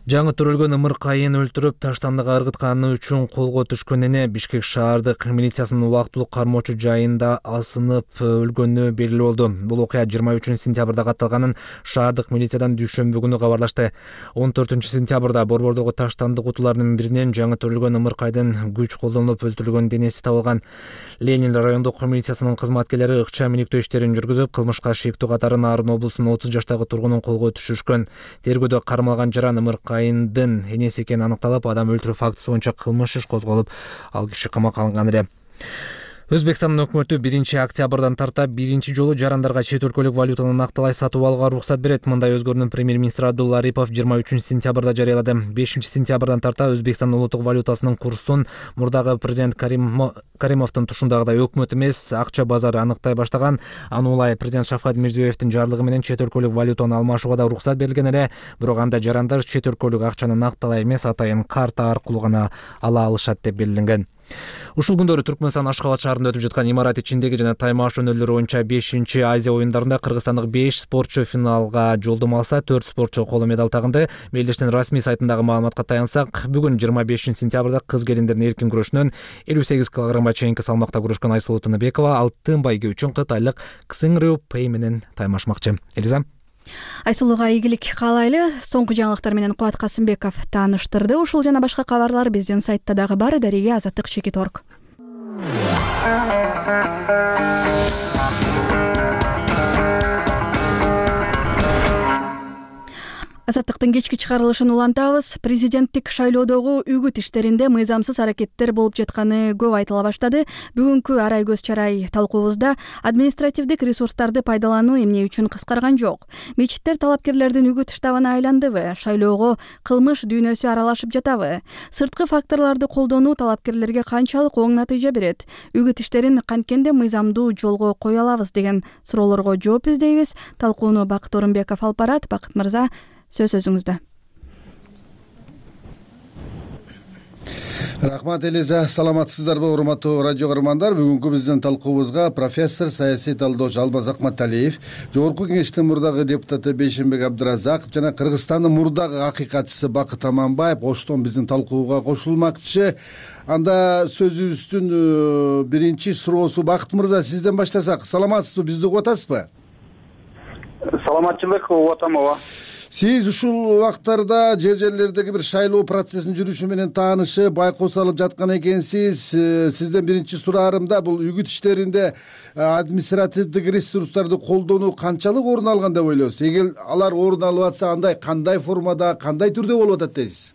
Жаңы төрөлгөн ымыркайын өлтүрүп таштандыга ыргытканы үчүн колго түшкөн эне Бишкек шаардык милициясынын убактылуу кармоочу жайында асынып өлгөнү белгилүү болду. Бул окуя 23 сентябрда катталганын шаардык милициядан дүйшөмбү күнү кабарлашты. 14 сентябрда борбордогу таштанды кутуларынын биринен жаңы төрөлгөн ымыркайдын күч колдонулуп өлтүрүлгөн денеси табылган. Ленин райондук милициясынын кызматкерлери ыкчам өнүктөө иштерин жүргүзүп, кылмышка шектүү катары Нарын облусунун 30 жаштагы тургунун колго түшүрүшкөн. Тергөөдө кармалган жаран ымыркайындын энеси экени аныкталып, адам өлтүрүү фактысы боюнча кылмыш иш козголуп, ал киши камакка алынган эле. Өзбекстандын өкмөтү 1 октябрдан тарта биринчи жолу жарандарга чет өлкөлүк валютаны накталай сатып алууга уруксат берет. Мындай өзгөрүүнү премьер-министр Абдулла Арипов 23 сентябрда жарыялады. 5 сентябрдан тарта Өзбекстандын улуттук валютасынын курсун мурдагы президент Каримовдун тушундагыдай өкмөт эмес, акча базары аныктай баштаган. Аны улай президент Шавкат Мирзиёевдин жарлыгы менен чет өлкөлүк валютаны алмашууга да уруксат берилген эле. Бирок анда жарандар чет өлкөлүк акчаны накталай эмес, атайын карта аркылуу гана ала алышат деп белгиленген. Ушул күндөрү Түркмөнстан Ашкабад шаарында өтүп жаткан имарат ичиндеги жана таймаш өнөрлөрү боюнча 5 Азия оюндарында кыргызстандык 5 спортчу финалга жолдомо алса, 4 спортчу коло медаль тагынды. Мелдештин расмий сайтындагы маалыматка таянсак, бүгүн 25 сентябрда кыз келиндердин эркин күрөшүнөн 58 килограммга чейинки салмакта күрөшкөн Айсулуу Тыныбекова алтын байге үчүн кытайлык Ксың Рю Пэй менен таймашмакчы. Элиза Айсулууга ийгилик каалайлы. Соңку жаңылыктар менен Кубат Касымбеков тааныштырды. Ушул жана башка кабарлар биздин сайтта дагы бар. Дарига Азаттык.org. Азаттыктын кечки чыгарылышын улантабыз. Президенттик шайлоодогу үгүт иштеринде мыйзамсыз аракеттер болуп жатканы көп айтыла баштады. Бүгүнкү арай көз чарай талкуубузда административдик ресурстарды пайдалануу эмне үчүн кыскарган жок? Мечиттер талапкерлердин үгүт штабына айландыбы? Шайлоого кылмыш дүйнөсү аралашып жатабы? Сырткы факторлорду колдонуу талапкерлерге канчалык оң натыйжа берет? Үгүт иштерин канткенде мыйзамдуу жолго кое алабыз деген суроолорго жооп издейбиз. Талкууну Бакыт Орунбеков алып барат. Бакыт мырза, сөз өзүңүздө. Рахмат, Элиза. Саламатсыздарбы, урматтуу радио көрөрмандар? Бүгүнкү биздин талкуубузга профессор, саясий талдоочу Алмаз Акматалиев, Жогорку Кеңештин мурдагы депутаты Бейшенбек Абдыразаков жана Кыргызстандын мурдагы акыйкатчысы Бакыт Аманбаев оштон биздин талкууга кошулмакчы. Анда сөзүбүздүн биринчи суроосу, Бакыт мырза, сизден баштасак. Саламатсызбы, бизди угуп атасызбы? Саламатчылык, угуп атам. Ооба. Сиз ушул убактарда жерлердеги бир шайлоо процессинин жүрүшү менен таанышып, байкоо салып жаткан экенсиз. Сизден биринчи сураарым да бул үгүт иштеринде административдик ресурстарды колдонуу канчалык орун алган деп ойлойсуз? Эгер алар орун алып атса, андай кандай формада, кандай түрдө болуп атат дейсиз?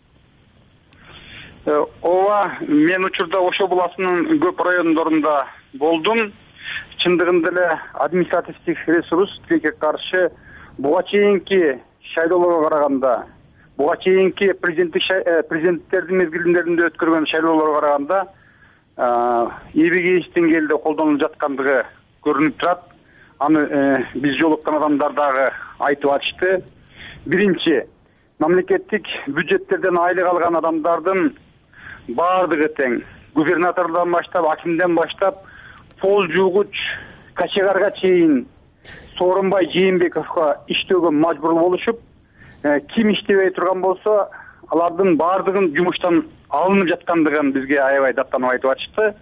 Ооба, мен учурда Ошо буласынын көп райондорунда болдум. Чындыгында эле административдик ресурс тилекке каршы буга чейинки шайлоолорго караганда, буга чейинки президенттердин мезгилдеринде өткөргөн шайлоолорго караганда эбегейиш деңгээлде колдонулуп жаткандыгы көрүнүп турат. Аны биз жолуккан адамдар дагы айтып атышты. Биринчи, мамлекеттик бюджеттерден айлык алган адамдардын баардыгы тең. Губернатордон баштап, акимден баштап, пол жуугуч качегарга чейин Сооронбай Жээнбековго иштөөгө мажбур болушуп, ким иштебей турган болсо, алардын баардыгын жумуштан алынып жаткандыгын бизге аябай даттанып айтып атышты.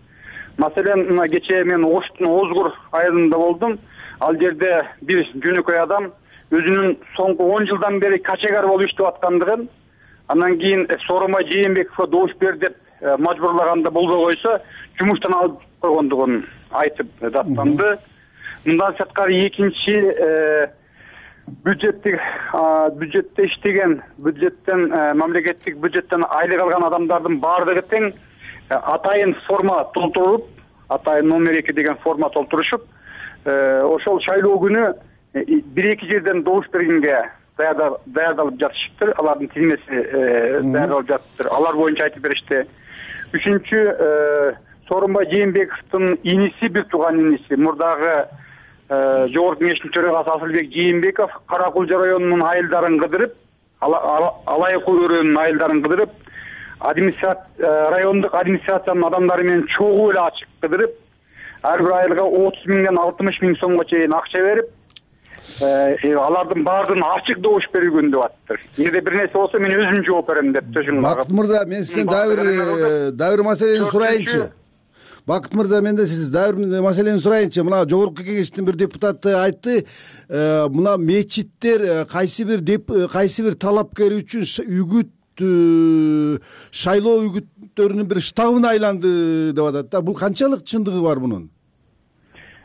Маселен, кечээ мен Оштун Озгур айылында болдум. Ал жерде бир жөнөкөй адам өзүнүн соңку 10 жылдан бери качегар болуп иштеп аткандыгын, андан кийин Сооронбай Жээнбековго добуш бер деп мажбурлаганда болбой койсо, жумуштан алып койгондугун айтып даттанды. Мындан сырткары экинчи бюджетте иштеген, мамлекеттик бюджеттен айлык алган адамдардын баардыгы тең атайын форма толтуруп, атайын номер 2 деген форма толтурушуп, ошол шайлоо күнү 1-2 жерден добуш бергенге даярдалып жатышыптыр. Алардын тизмеси даярдалып жатыптыр. Алар боюнча айтып беришти. Үчүнчү, Сооронбай Жээнбековдун иниси, бир тууган иниси, мурдагы Жогорку Кеңештин төрагасы Асылбек Жээнбеков Каракулжа районунун айылдарын кыдырып, Алайкул өрөөнүнүн айылдарын кыдырып, райондук администрациянын адамдары менен чогуу эле ачык кыдырып, ар бир айылга 30 миңден 60 миң сомго чейин акча берип, алардын баардыгын ачык добуш берилген деп атыптыр. Эгерде бир нерсе болсо мен өзүм жооп берем деп төшүн кагып. Бакыт мырза, мен сизден дагы бир маселени сурайынчы. Бакыт мырза, мен да сиз дагы бир маселени сурайынчы. Мына Жогорку Кеңештин бир депутаты айтты, мына мечиттер кайсы бир талапкер үчүн үгүт шайлоо үгүттөрүнүн бир штабына айланды деп атат да. Бул канчалык чындыгы бар мунун?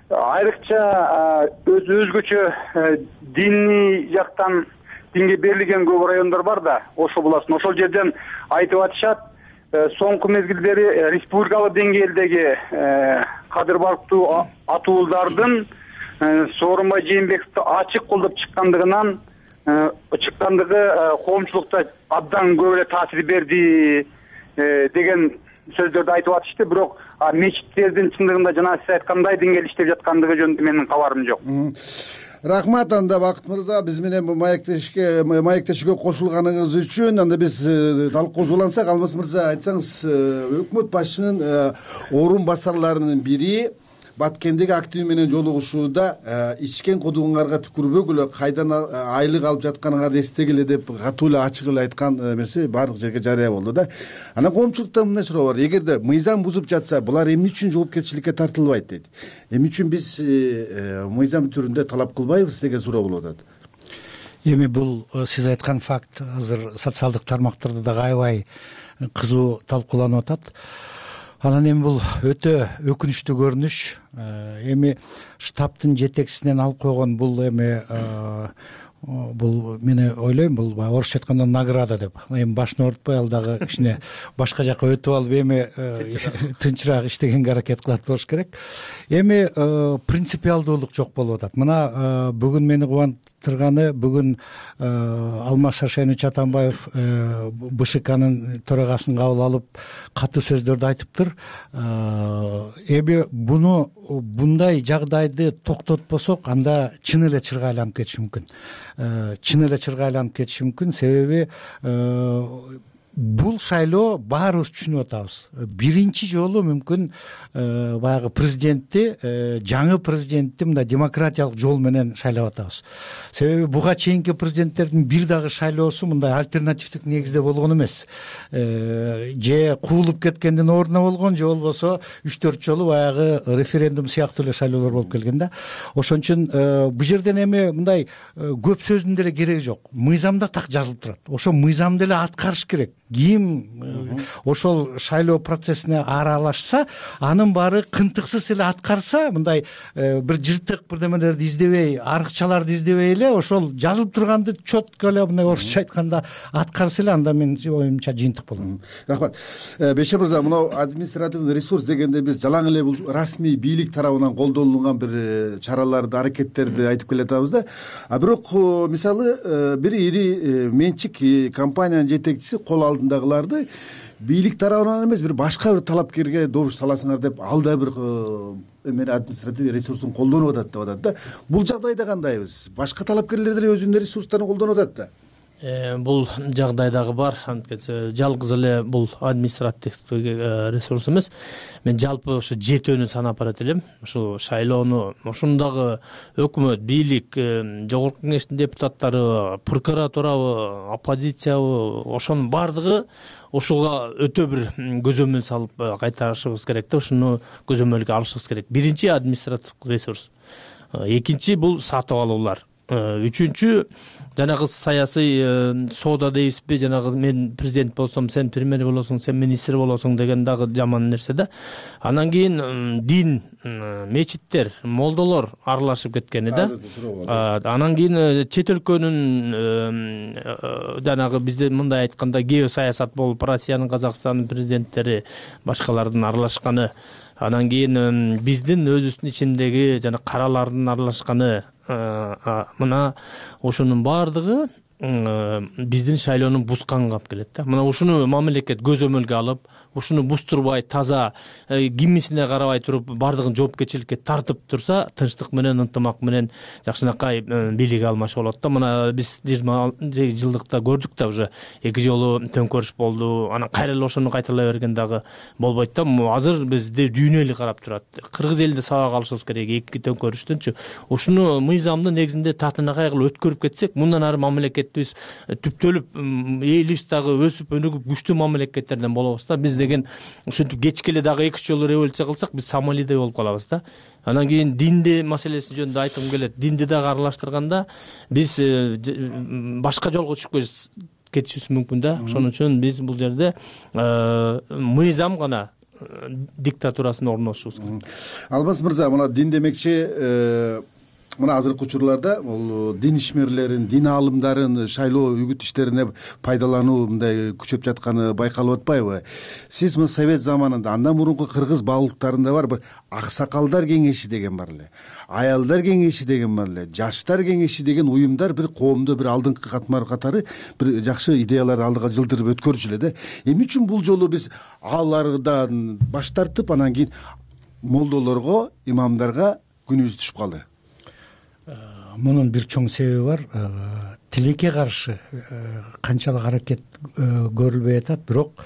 Айрыкча өзгөчө диний жактан динге берилген көп райондор бар да, ошол буласын. Ошол жерден айтып атышат, соңку мезгилдери республикалык деңгээлдеги кадырбалыктуу атуулдардын Сооронбай Жээнбековду ачык колдоп чыккандыгы коомчулукта абдан көп эле таасир берди деген сөздөрдү айтып атышты. Бирок мечиттердин чындыгында жана сиз айткандай деңгээлде иштеп жаткандыгы жөнүндө менин кабарым жок. Рахмат. Анда Бакыт мырза, биз менен маектешүүгө кошулганыңыз үчүн. Анда биз талкуубузду улантсак, Алмаз мырза, айтсаңыз, өкмөт башчынын орун басарларынын бири Баткендеги активи менен жолугушууда ичкен кудуңарга түкүрбөгүлө, кайдан айлык алып жатканыңарды эстегиле деп катуу эле ачык эле айткан эмеси баардык жерге жарыя болду да. Анан коомчулукта мындай суроо бар: эгерде мыйзам бузуп жатса, булар эмне үчүн жоопкерчиликке тартылбайт дейт? Эмне үчүн биз мыйзам түрүндө талап кылбайбыз деген суроо болуп атат. Эми бул сиз айткан факт азыр социалдык тармактарда дагы аябай кызуу талкууланып атат. Анан эми бул өтө өкүнүчтүү көрүнүш. Эми штабтын жетекчисинен алып койгон бул эми бул мен ойлойм, бул орусча айтканда награда деп. Эми башын оорутпай, ал дагы кичине башка жака өтүп алып эми тынчыраак иштегенге аракет кылат болуш керек. Эми принципиалдуулук жок болуп атат. Мына бүгүн мени кубандырганы, бүгүн Алмаз Шаршенович Атамбаев БШКнын төрагасын кабыл алып катуу сөздөрдү айтыптыр. Эми bunday жагдайды токтотпосок, анда чын эле чырга айланып кетиши мүмкүн. Себеби бул шайлоо баарыбыз түшүнүп атабыз. Биринчи жолу мүмкүн баягы президентти, жаңы президентти мындай демократиялык жол менен шайлап атабыз. Себеби буга чейинки президенттердин бир дагы шайлоосу мындай альтернативдик негизде болгон эмес. Же куулуп кеткендин ордуна болгон, же болбосо 3-4 жолу баягы референдум сыяктуу эле шайлоолор болуп келген да. Ошон үчүн бул жерден эми мындай көп сөздүн деле кереги жок. Мыйзамда так жазылып турат. Ошол мыйзамды эле аткарыш керек. Ким ошол шайлоо процессине аралашса, анын баары кынтыксыз эле аткарса, мындай бир жыртык бирдемелерди издебей, арыкчаларды издебей эле ошол жазылып турганды четко эле мындай орусча айтканда аткарса эле, анда менин оюмча жыйынтык болот. Рахмат. Беше мырза, мына административный ресурс дегенде биз жалаң эле бул расмий бийлик тарабынан колдонулган бир чараларды, аракеттерди айтып келатабыз да. Бирок мисалы бир ири менчик компаниянын жетекчиси кол алдындагыларды бийлик тарабынан эмес, бир башка бир талапкерге добуш саласыңар деп, ал да бир эмне административный ресурсун колдонуп атат деп атат да. Бул жагдайда кандайбыз? Башка талапкерлер деле өзүнүн ресурстарын колдонуп атат да. Бул жагдай дагы бар. Жалгыз эле бул административдик ресурс эмес. Мен жалпы ошо жетөөнү санап барат элем. Ошо шайлоону ошондагы өкмөт, бийлик, Жогорку Кеңештин депутаттары, прокуратурабы, оппозициябы, ошонун баардыгы ошого өтө бир көзөмөл салып кайтарышыбыз керек да. Ошону көзөмөлгө алышыбыз керек. Биринчи административдик ресурс. Экинчи бул сатып алуулар. Үчүнчү жанагы саясий соода дейбизби, жанагы мен президент болсом, сен премьер болосуң, сен министр болосуң деген дагы жаман нерсе да. Анан кийин дин, мечиттер, молдолор аралашып кеткени да. Анан кийин чет өлкөнүн жанагы бизде мындай айтканда геосаясат болуп, Россиянын, Казакстандын президенттери, башкалардын аралашканы. Анан кийин биздин өзүбүздүн ичиндеги жана каралардын аралашканы. Мына ошонун баардыгы биздин шайлоону бусканга алып келет да. Мына ушуну мамлекет көзөмөлгө алып, ушуну бузтурбай, таза кимисине карабай туруп бардыгын жоопкерчиликке тартып турса, тынчтык менен, ынтымак менен жакшынакай бийлик алмашып болот да. Мына биз 20 жылдыкта көрдүк да, уже 2 жолу төңкөрүш болду. Анан кайра эле ошону кайталай берген дагы болбойт да. Азыр бизде дүйнө эли карап турат. Кыргыз элде сабак алышыбыз керек 2 төңкөрүштөнчү. Ушуну мыйзамды негизинде татынакай кылып өткөрүп кетсек, мындан ары мамлекетибиз түптөлүп, элибиз дагы өсүп, өнүгүп, күчтүү мамлекеттерден болобуз да. Биз деген ушинтип кечке эле дагы 2 жолу революция кылсак, биз Сомалиде болуп калабыз да. Анан кийин динди маселеси жөнүндө айткым келет. Динди дагы аралаштырганда биз башка жолго түшүп кетишибиз мүмкүн да. Ошон үчүн биз бул жерде мыйзам гана диктатурасын орнотушубуз керек. Алмаз мырза, мына дин демекчи мына азыркы учурларда бул дин ишмерлерин, дин аалымдарын шайлоо үгүт иштерине пайдалануу мындай күчөп жатканы байкалып атпайбы? Сиз мына совет заманында, андан мурунку кыргыз баалуулуктарында бар бир аксакалдар кеңеши деген бар эле, аялдар кеңеши деген бар эле, жаштар кеңеши деген уюмдар бир коомдо бир алдыңкы катары бир жакшы идеяларды алдыга жылдырып өткөрчү эле да. Эмне үчүн бул жолу биз алардан баш тартып, анан кийин молдолорго, имамдарга күнүбүз түшүп калды? Мунун бир чоң себеби бар. Тилекке каршы канчалык аракет көрүлбөй атат, бирок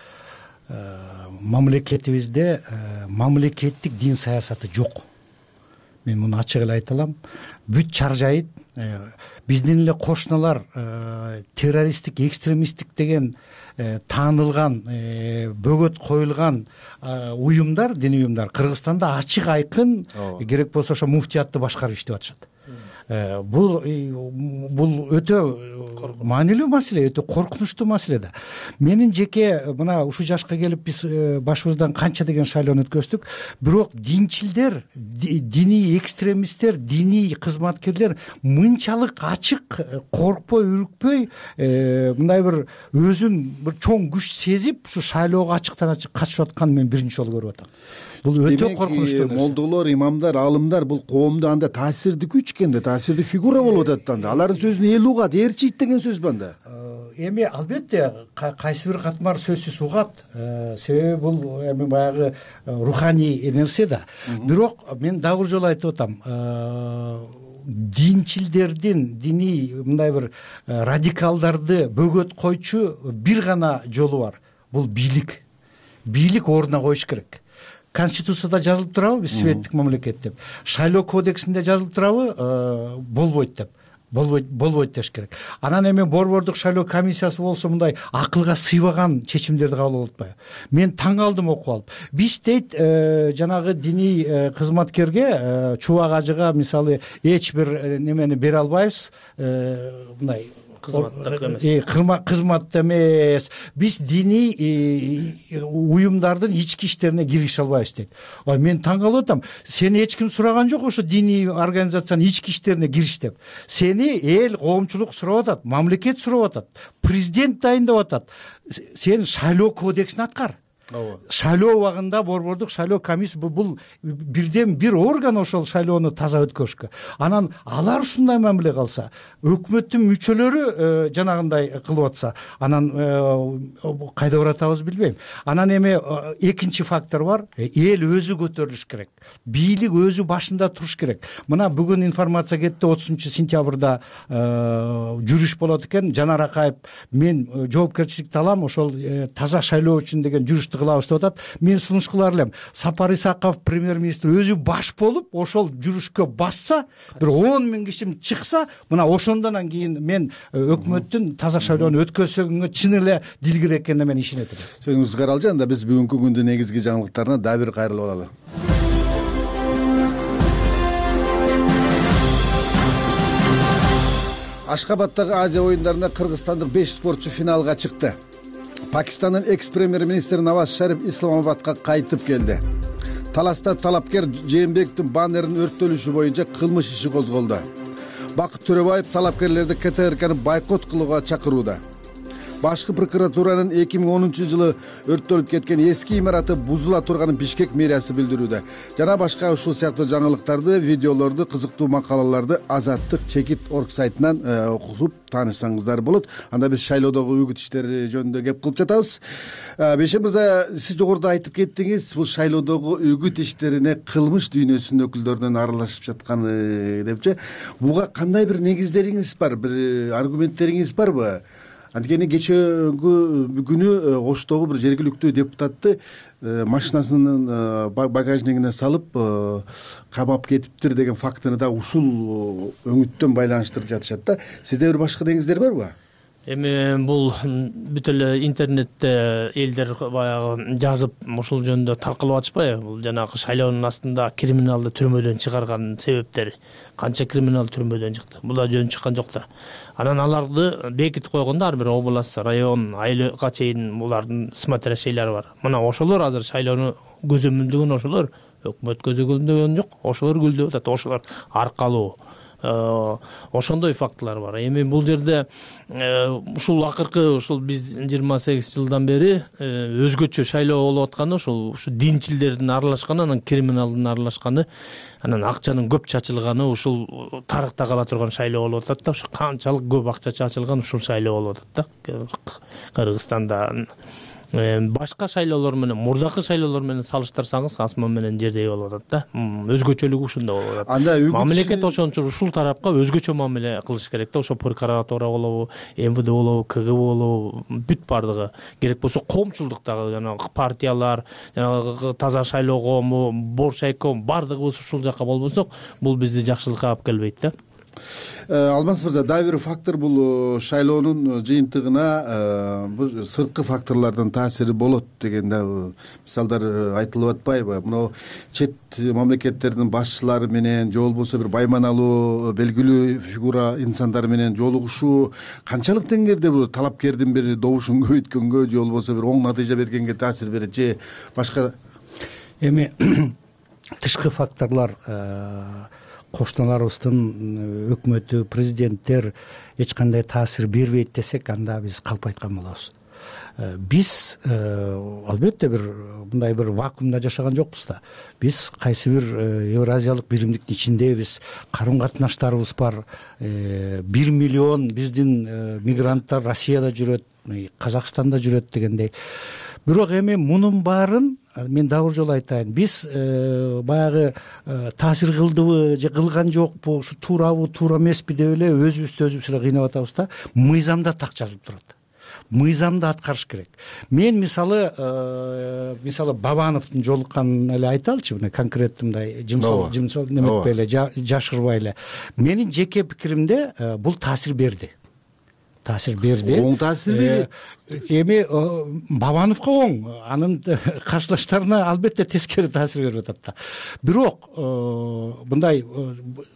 мамлекетибизде мамлекеттик дин саясаты жок. Мен муну ачык эле айта алам. Бүт чаржайыт биздин эле кошуналар террористтик, экстремисттик деген таанылган, бөгөт коюлган уюмдар, диний уюмдар Кыргызстанда ачык айкын, керек болсо ошо муфтиятты башкарып иштеп атышат. Бул өтө маанилүү маселе, өтө коркунучтуу маселе да. Менин жеке мына ушу жашка келип биз башыбыздан канча деген шайлоону өткөздүк, бирок динчилдер, диний экстремисттер, диний кызматкерлер мынчалык ачык, коркпой, үрүкпөй, мындай бир өзүн бир чоң күч сезип ушу шайлоого ачыктан ачык катышып атканын мен биринчи жолу көрүп атам. Бул өтө коркунучтуу. Молдолор, имамдар, аалымдар бул коомдо анда таасирдүү күч экенде, таасирдүү фигура болуп атат анда. Алардын сөзүн эл угат, ээрчийт деген сөз бар анда. Эми албетте кайсы бир катмар сөзсүз угат, себеби бул эми баягы руханий нерсе да. Бирок мен дагы бир жолу айтып атам, динчилдердин, диний мындай бир радикалдарды бөгөт койчу бир гана жолу бар. Бул бийлик. Бийлик ордуна коюш керек. Конституцияда жазылып турабы биз светтик мамлекет деп, шайлоо кодексинде жазылып турабы болбойт деп, болбойт деш керек. Анан эми борбордук шайлоо комиссиясы болсо мындай акылга сыйбаган чечимдерди кабыл алып атпайбы? Мен таң калдым окуп алып. Биз дейт жанагы диний кызматкерге, чубак ажыга мисалы эч бир немени бере албайбыз, мындай кызматта эмес, биз диний уюмдардын ички иштерине киргише албайбыз дейт. Мен таң калып атам. Сени эч ким сураган жок ошо диний организациянын ички иштерине кириш деп. Сени эл, коомчулук сурап атат, мамлекет сурап атат, президент дайындап атат. Сен шайлоо кодексин аткар. Шайлоо убагында борбордук шайлоо комиссия бул бирден бир орган ошол шайлоону таза өткөрүшкө. Анан алар ушундай мамиле калса, өкмөттүн мүчөлөрү жанагындай кылып атса, анан кайда баратабыз билбейм. Анан эми экинчи фактор бар, эл өзү көтөрүлүш керек. Бийлик өзү башында туруш керек. Мына бүгүн информация кетти, 30-сентябрда жүрүш болот экен. Жанар Акаев мен жоопкерчиликти алам, ошол таза шайлоо үчүн деген жүрүштү кылабыз деп атат. Мен сунуш кылар элем. Сапар Исаков премьер-министр өзү баш болуп, ошол жүрүшкө басса, бир 10 000 киши чыкса, мына ошондон кийин мен өкмөттүн таза шайлоону өткөзсөгөнгө чын эле дилгир экенине мен ишенет элем. Сөзүңүз каралжы, анда биз бүгүнкү күндүн негизги жаңылыктарына дагы бир кайрылып алалы. Ашкабадтагы Азия оюндарында кыргызстандык 5 спортчу финалга чыкты. Пакистандын экс-премьер-министри Наваз Шариф Исламабадка кайтып келди. Таласта талапкер Жээнбековдун баннеринин өрттөлүшү боюнча кылмыш иши козголду. Бакыт Төрөбаев талапкерлерди КТРКны бойкот кылууга чакырууда. Башкы прокуратуранын 2010-жылы өрттөлүп кеткен эски имараты бузула турганын Бишкек мэриясы билдирүүдө. Жана башка ушул сыяктуу жаңылыктарды, видеолорду, кызыктуу макалаларды Азаттык чекит орг сайтынан окуп таанышсаңыздар болот. Анда биз шайлоодогу үгүт иштери жөнүндө кеп кылып жатабыз. Бейшен мырза, сиз жогоруда айтып кеттиңиз, бул шайлоодогу үгүт иштерине кылмыш дүйнөсүнүн өкүлдөрүнүн аралашып жатканы депчи. Буга кандай бир негиздериңиз бар, бир аргументтериңиз барбы? Анткени кечеги күнү Оштогу бир жергиликтүү депутатты машинасынын багажнигине салып камап кетиптир деген фактыны да ушул өңүттөн байланыштырып жатышат да. Сизде бир башка негиздер барбы? Эми бул бүт эле интернетте элдер баягы жазып ушул жөнүндө таркалып атышпайбы? Бул жанагы шайлоонун астында криминалды түрмөдөн чыгарган себептери. Канча криминал түрмөдөн чыкты? Бул да жөн чыккан жок да. Анан аларды бекитип койгондо ар бир область, район, айылга чейин булардын смотрящийлери бар. Мына ошолор азыр шайлоону көзөмөлдөгөн, ошолор өкмөт көзөмөлдөгөн жок, ошолор гүлдөп атат, ошолор аркалуу. Ошондой фактылар бар. Эми бул жерде ушул акыркы ушул биз 28 жылдан бери өзгөчө шайлоо болуп атканы ушу динчилдердин аралашканы, анан криминалдын аралашканы, анан акчанын көп чачылганы ушул тарыхта кала турган шайлоо болуп атат да. Ушу канчалык көп акча чачылган ушул шайлоо болуп атат да. Кыргызстанда башка шайлоолор менен, мурдакы шайлоолор менен салыштырсаңыз, асман менен жердей болуп атат да. Өзгөчөлүгү ушунда болуп атат. Анда мамлекет ошон үчүн ушул тарапка өзгөчө мамиле кылыш керек да. Ошо прокуратура болобу, МВД болобу, КГБ болобу, бүт бардыгы. Керек болсо коомчулдуктагы жанагы партиялар, жанагы таза шайлоо коому, Боршайком бардыгыбыз ушул жака болбосок, бул бизди жакшылыкка алып келбейт да. Алмаз мырза, дагы бир фактор бул шайлоонун жыйынтыгына бул сырткы факторлордун таасири болот деген да мисалдар айтылып атпайбы? Мына чет мамлекеттердин башчылары менен же болбосо бир байманалуу белгилүү фигура инсандар менен жолугушуу канчалык деңгээлде бул талапкердин бир добушун көбөйткөнгө же болбосо бир оң натыйжа бергенге таасир берет же башка? Эми тышкы факторлор кошуналарыбыздын өкмөтү, президенттер эч кандай таасир бербейт десек, анда биз калп айткан болобуз. Биз албетте бир мындай бир вакуумда жашаган жокпуз да. Биз кайсы бир Евразиялык биримдиктин ичиндебиз, карым катнаштарыбыз бар. 1 миллион биздин мигранттар Россияда жүрөт, Казакстанда жүрөт дегендей. Бирок эми мунун баарын мен дагы жолу айтайын. Биз баягы таасир кылдыбы же кылган жокпу, ушу туурабы, туура эмеспи деп эле өзүбүздү эле кыйнап атабыз да. Мыйзамда так жазылып турат. Мыйзамды аткарыш керек. Мен мисалы Бабановдун жолукканын эле айталычы, мына конкреттүү мындай жымсал неметпей эле, жашырбай эле. Менин жеке пикиримде бул таасир берди. Оң таасир берди. Эми Бабановго оң, анын каршылаштарына албетте тескери таасир берип атат да. Бирок мындай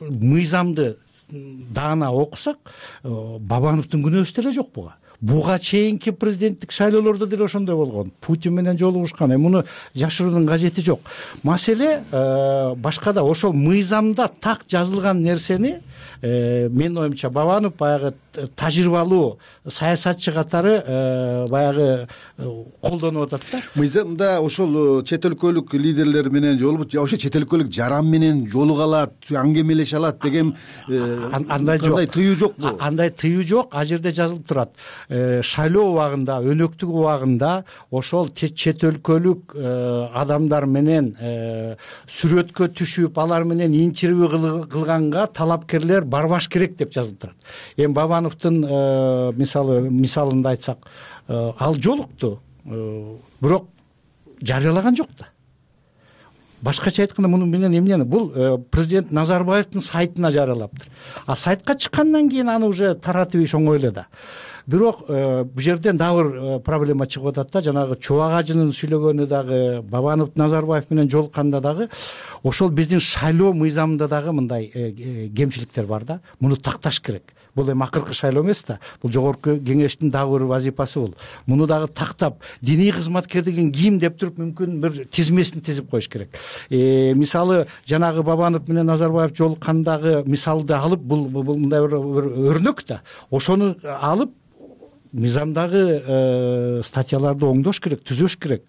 мыйзамды даана окусак, Бабановдун күнөөсү деле жок буга. Буга чейинки президенттик шайлоолордо деле ошондой болгон. Путин менен жолугушкан. Муну жашыруунун кажети жок. Маселе башкада. Ошол мыйзамда так жазылган нерсени менин оюмча Бабанов баягы тажрыйбалуу саясатчы катары баягы колдонуп атат да. Мыйзамда ошол чет өлкөлүк лидерлер менен жолугуп, вообще чет өлкөлүк жаран менен жолуга алат, аңгемелеше алат деген андай жок. Андай тыюу жокпу? Андай тыюу жок. А жерде жазылып турат. Шайлоо убагында, өнөктүк убагында ошол чет өлкөлүк адамдар менен сүрөткө түшүп, алар менен интервью кылганга талапкерлер барбаш керек деп жазылып турат. Эми Бабановдун мисалында айтсак, ал жолукту, бирок жарыялаган жок да. Башкача айтканда, муну менен эмнени? Бул президент Назарбаевдин сайтына жарыялаптыр. А сайтка чыккандан кийин аны уже таратып иш оңой эле да. Бирок бул жерден дагы бир проблема чыгып атат да. Жанагы Чубак ажынын сүйлөгөнү дагы, Бабанов Назарбаев менен жолукканда дагы ошол биздин шайлоо мыйзамында дагы мындай кемчиликтер бар да. Муну такташ керек. Бул эми акыркы шайлоо эмес да. Бул жогорку кеңештин дагы бир вазифасы бул. Муну дагы тактап, диний кызматкер деген ким деп туруп мүмкүн бир тизмесин тизип коюш керек. Мисалы жанагы Бабанов менен Назарбаев жолуккандагы мисалды алып, бул мындай бир өрнөк да. Ошону алып мыйзамдагы статьяларды оңдош керек, түзөш керек.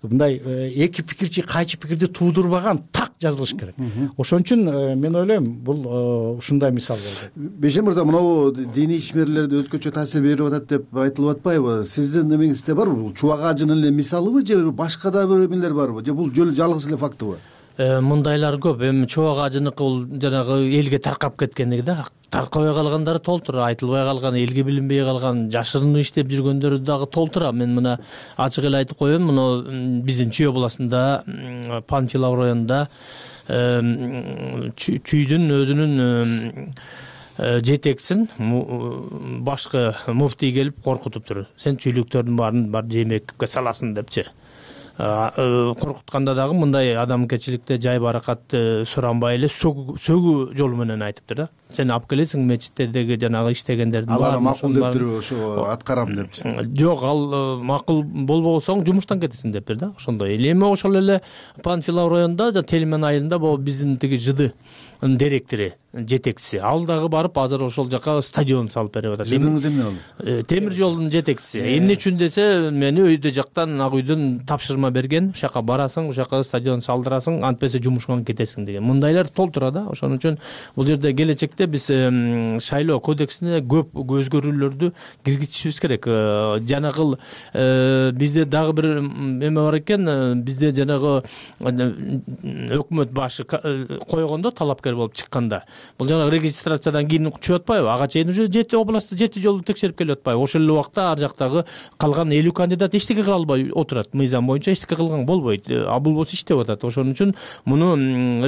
Мындай эки пикирчи кайчы пикирди туудурбаган так жазылыш керек. Ошон үчүн мен ойлойм бул ушундай мисал болду. Бейшен мырза, мынабу диний ишмерлерде өзгөчө таасир берип атат деп айтылып атпайбы? Сиздин эмеңизде барбы? Бул чубак ажынын эле мисалыбы же башка да бир эмелер барбы? Же бул жалгыз эле фактыбы? Мындайлар көп. Эми чубак ажыныкы бул жанагы элге таркап кеткендиги да. Таркабай калгандары толтура, айтылбай калган, элге билинбей калган, жашырынып иштеп жүргөндөрү дагы толтура. Мен мына ачык эле айтып коеюн, мына биздин Чүй областында, Панфилов районунда Чүйдүн өзүнүн жетекчисин башкы муфтий келип коркутуптур. Сен чүйлүктөрдүн баарын бар жемекке саласың депчи. Коркутканда дагы мындай адамгерчиликте жай баракат суранбай эле сөгүү жолу менен айтыптыр да. Сен алып келесиң мечиттердеги жанагы иштегендердин алар макул дептир, ошо аткарам депчи. Жок, ал макул болбосоң жумуштан кетесиң дептир да. Ошондой. Эми ошол эле Панфилов районунда Телмен айылында бул биздин тиги ЖД директору, жетекчиси. Ал дагы барып азыр ошол жака стадион салып берип атат. ЖДңыз эмне болду? Темир жолдун жетекчиси. Эмне үчүн десе, мени өйдө жактан ак үйдөн тапшырма берген. Ошол жака барасың, ошол жака стадион салдырасың, антпесе жумушкан кетесиң деген. Мындайлар толтура да. Ошон үчүн бул жерде келечекте биз шайлоо кодексине көп өзгөрүүлөрдү киргизишибиз керек. Жанагы бизде дагы бир эме бар экен, бизде жанагы өкмөт башы койгондо талапкер болуп чыкканда, бул жанагы регистрациядан кийин чыгып атпайбы? Ага чейин уже 7 областты 7 жолу текшерип келип атпайбы? Ошол эле убакта ар жактагы калган 50 кандидат эчтеке кыла албай отурат. Мыйзам боюнча эчтеке кылган болбойт. А бул болсо иштеп атат. Ошон үчүн муну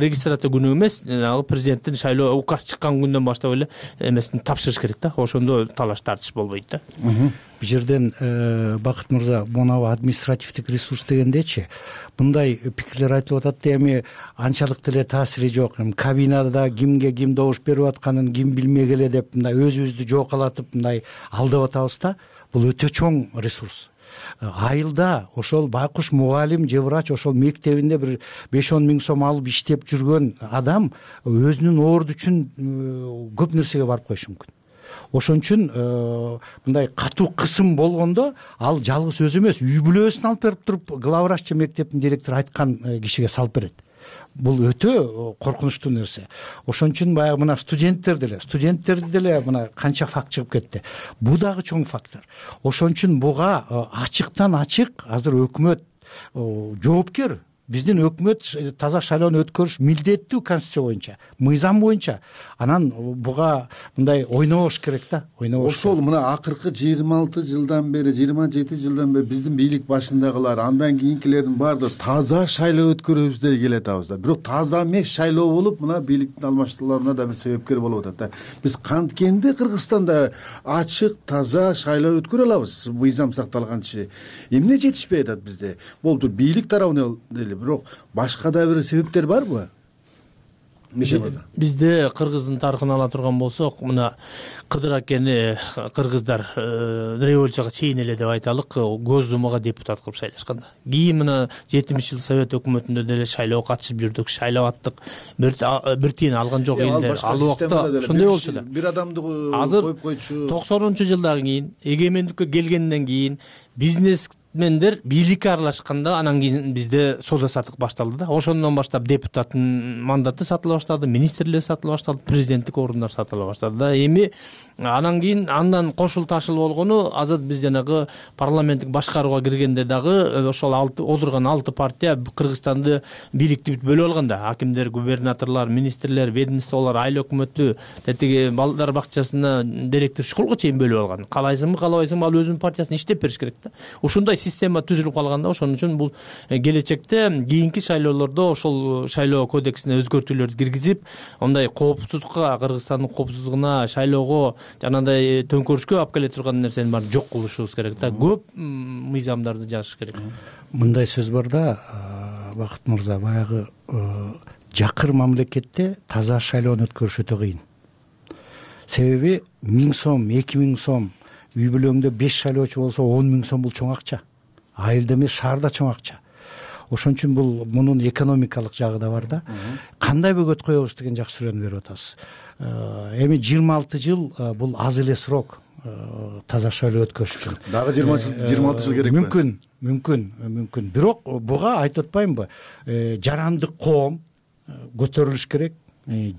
регистрация күнү эмес, президенттин шайлоо указ чыккан күндөн баштап эле эмесин тапшырыш керек да. Ошондо талаш тартыш болбойт да. Бул жерден Бакыт мырза, монабу административдик ресурс дегендечи мындай пикирлер айтылып атат да, эми анчалык деле таасири жок. Кабинада кимге ким добуш берип атканын ким билмек эле деп мындай өзүбүздү жоокалатып мындай алдап атабыз да. Бул өтө чоң ресурс. Айылда ошол байкуш мугалим же врач ошол мектебинде бир 5-10 миң сом алып иштеп жүргөн адам өзүнүн орду үчүн көп нерсеге барып коюшу мүмкүн. Ошон үчүн мындай катуу кысым болгондо ал жалгыз өзү эмес, үй бүлөсүн алып берип туруп главврач же мектептин директору айткан кишиге салып берет. Бул өтө коркунучтуу нерсе. Ошон үчүн баягы мына студенттерди деле мына канча факт чыгып кетти. Бул дагы чоң фактор. Ошон үчүн буга ачыктан ачык азыр өкмөт жоопкер. Биздин өкмөт таза шайлоону өткөрүш милдеттүү конституция боюнча, мыйзам боюнча. Анан буга мындай ойнобош керек да, ойнобош. Ошол мына акыркы 26 жылдан бери, 27 жылдан бери биздин бийлик башындагылар, андан кийинкилердин баардыгы таза шайлоо өткөрөбүз деп келе атабыз да. Бирок таза эмес шайлоо болуп, мына бийликтин алмаштырууларына да бир себепкер болуп атат да. Биз канткенде Кыргызстанда ачык, таза шайлоо өткөрө алабыз, мыйзам сакталганча. Эмне жетишпей атат бизде? Болду, бийлик тарабынан деле, бирок башка да бир себептер барбы? Бизде Кыргыздын тарыхын ала турган болсок, мына Кыдыр акени кыргыздар революцияга чейин эле деп айталык, Госдумага депутат кылып шайлашкан. Кийин мына 70 жыл Совет өкмөтүндө деле шайлоого катышып жүрдүк, шайлап аттык. Бир тиен алган жок элдер. Ал убакта ошондой болчу да. Бир адамды коюп койчу. 90-жылдан кийин, эгемендикке келгенден кийин бизнесмендер бийликке аралашканда, анан кийин бизде соода саттык башталды да. Ошондон баштап депутаттын мандаты сатыла баштады, министрлер сатыла баштады, президенттик орундар сатыла баштады да. Эми анан кийин андан кошул ташыл болгону азыр биз жанагы парламенттик башкарууга киргенде дагы ошол отурган 6 партия Кыргызстанды бийликти бөлүп алган да. Акимдер, губернаторлор, министрлер, ведомстволор, айыл өкмөтү, тетиги балдар бакчасына директор, школго чейин бөлүп алган. Каалайсыңбы, каалабайсыңбы, ал өзүнүн партиясына иштеп бериш керек да. Ушундай система түзүлүп калган да. Ошон үчүн бул келечекте кийинки шайлоолордо ошол шайлоо кодексине өзгөртүүлөрдү киргизип, мындай коопсуздукка, Кыргызстандын коопсуздугуна, шайлоого жанагындай төңкөрүшкө алып келе турган нерсени баарын жок кылышыбыз керек да. Көп мыйзамдарды жазыш керек. Мындай сөз бар да, Бакыт мырза, баягы жакыр мамлекетте таза шайлоону өткөрүш өтө кыйын. Себеби 1000 сом, 2000 сом, үй бүлөңдө 5 шайлоочу болсо 10 000 сом бул чоң акча. Айылда эмес, шаарда чоң акча. Ошон үчүн бул мунун экономикалык жагы да бар да. Кандай бөгөт коебуз деген жакшы суроону берип атасыз. Эми 26 жыл бул аз эле срок. таза шайлоо өткөрүш үчүн дагы 26 жыл керекпи? Мүмкүн. Бирок буга айтып атпаймынбы, жарандык коом көтөрүлүш керек,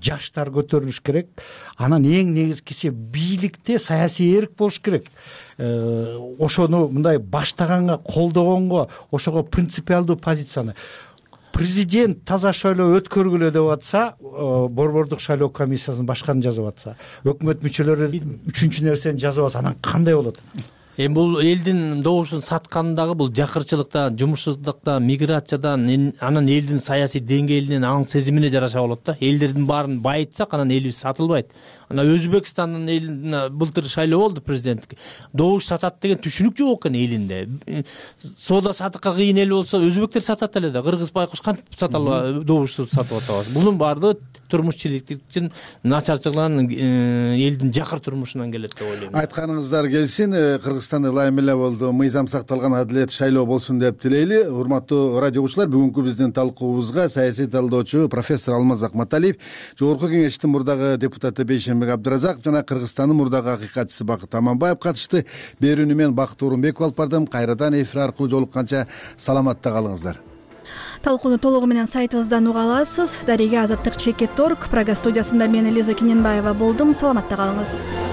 жаштар көтөрүлүш керек. Анан эң негизгиси бийликте саясий эрк болуш керек. Ошону мындай баштаганга, колдогонго, ошого принципиалдуу позицияны президент таза шайлоо өткөргүлө деп атса, борбордук шайлоо комиссиясынын башканы жазып атса, өкмөт мүчөлөрү үчүнчү нерсени жазып атса, анан кандай болот? Эми бул элдин добушун саткандагы бул жакырчылыктан, жумушсуздуктан, миграциядан, анан элдин саясий деңгээлинен, аң сезимине жараша болот да. Элдердин баарын байытсак, анан элибиз сатылбайт. Анан Өзбекстандын элине былтыр шайлоо болду президенттик. Добуш сатат деген түшүнүк жок экен элинде. Соода сатыкка кыйын эл болсо, өзбектер сатат эле да. Кыргыз байкуш кантип сата албайт, добушту сатып атабыз. Бунун баардыгы турмушчиликтин начарчылыгынан, элдин жакыр турмушунан келет деп ойлойм. Айтканыңыздар келсин. Кыргызстан ылайым эле болду. Мыйзам сакталган адилет шайлоо болсун деп тилейли. Урматтуу радио угуучулар, бүгүнкү биздин талкуубузга саясий талдоочу профессор Алмаз Акматалиев, Жогорку Кеңештин мурдагы депутаты Бейшенбек Абдыразаков жана Кыргызстандын мурдагы акыйкатчысы Бакыт Аманбаев катышты. Берүүнү мен Бакыт Орунбеков алып бардым. Кайрадан эфир аркылуу жолукканча саламатта калыңыздар. Талкууну толугу менен сайтыбыздан уга аласыз. Дарига Азаттык Чекет.org. Прага студиясында мен Элиза Киненбаева болдум. Саламатта калыңыз.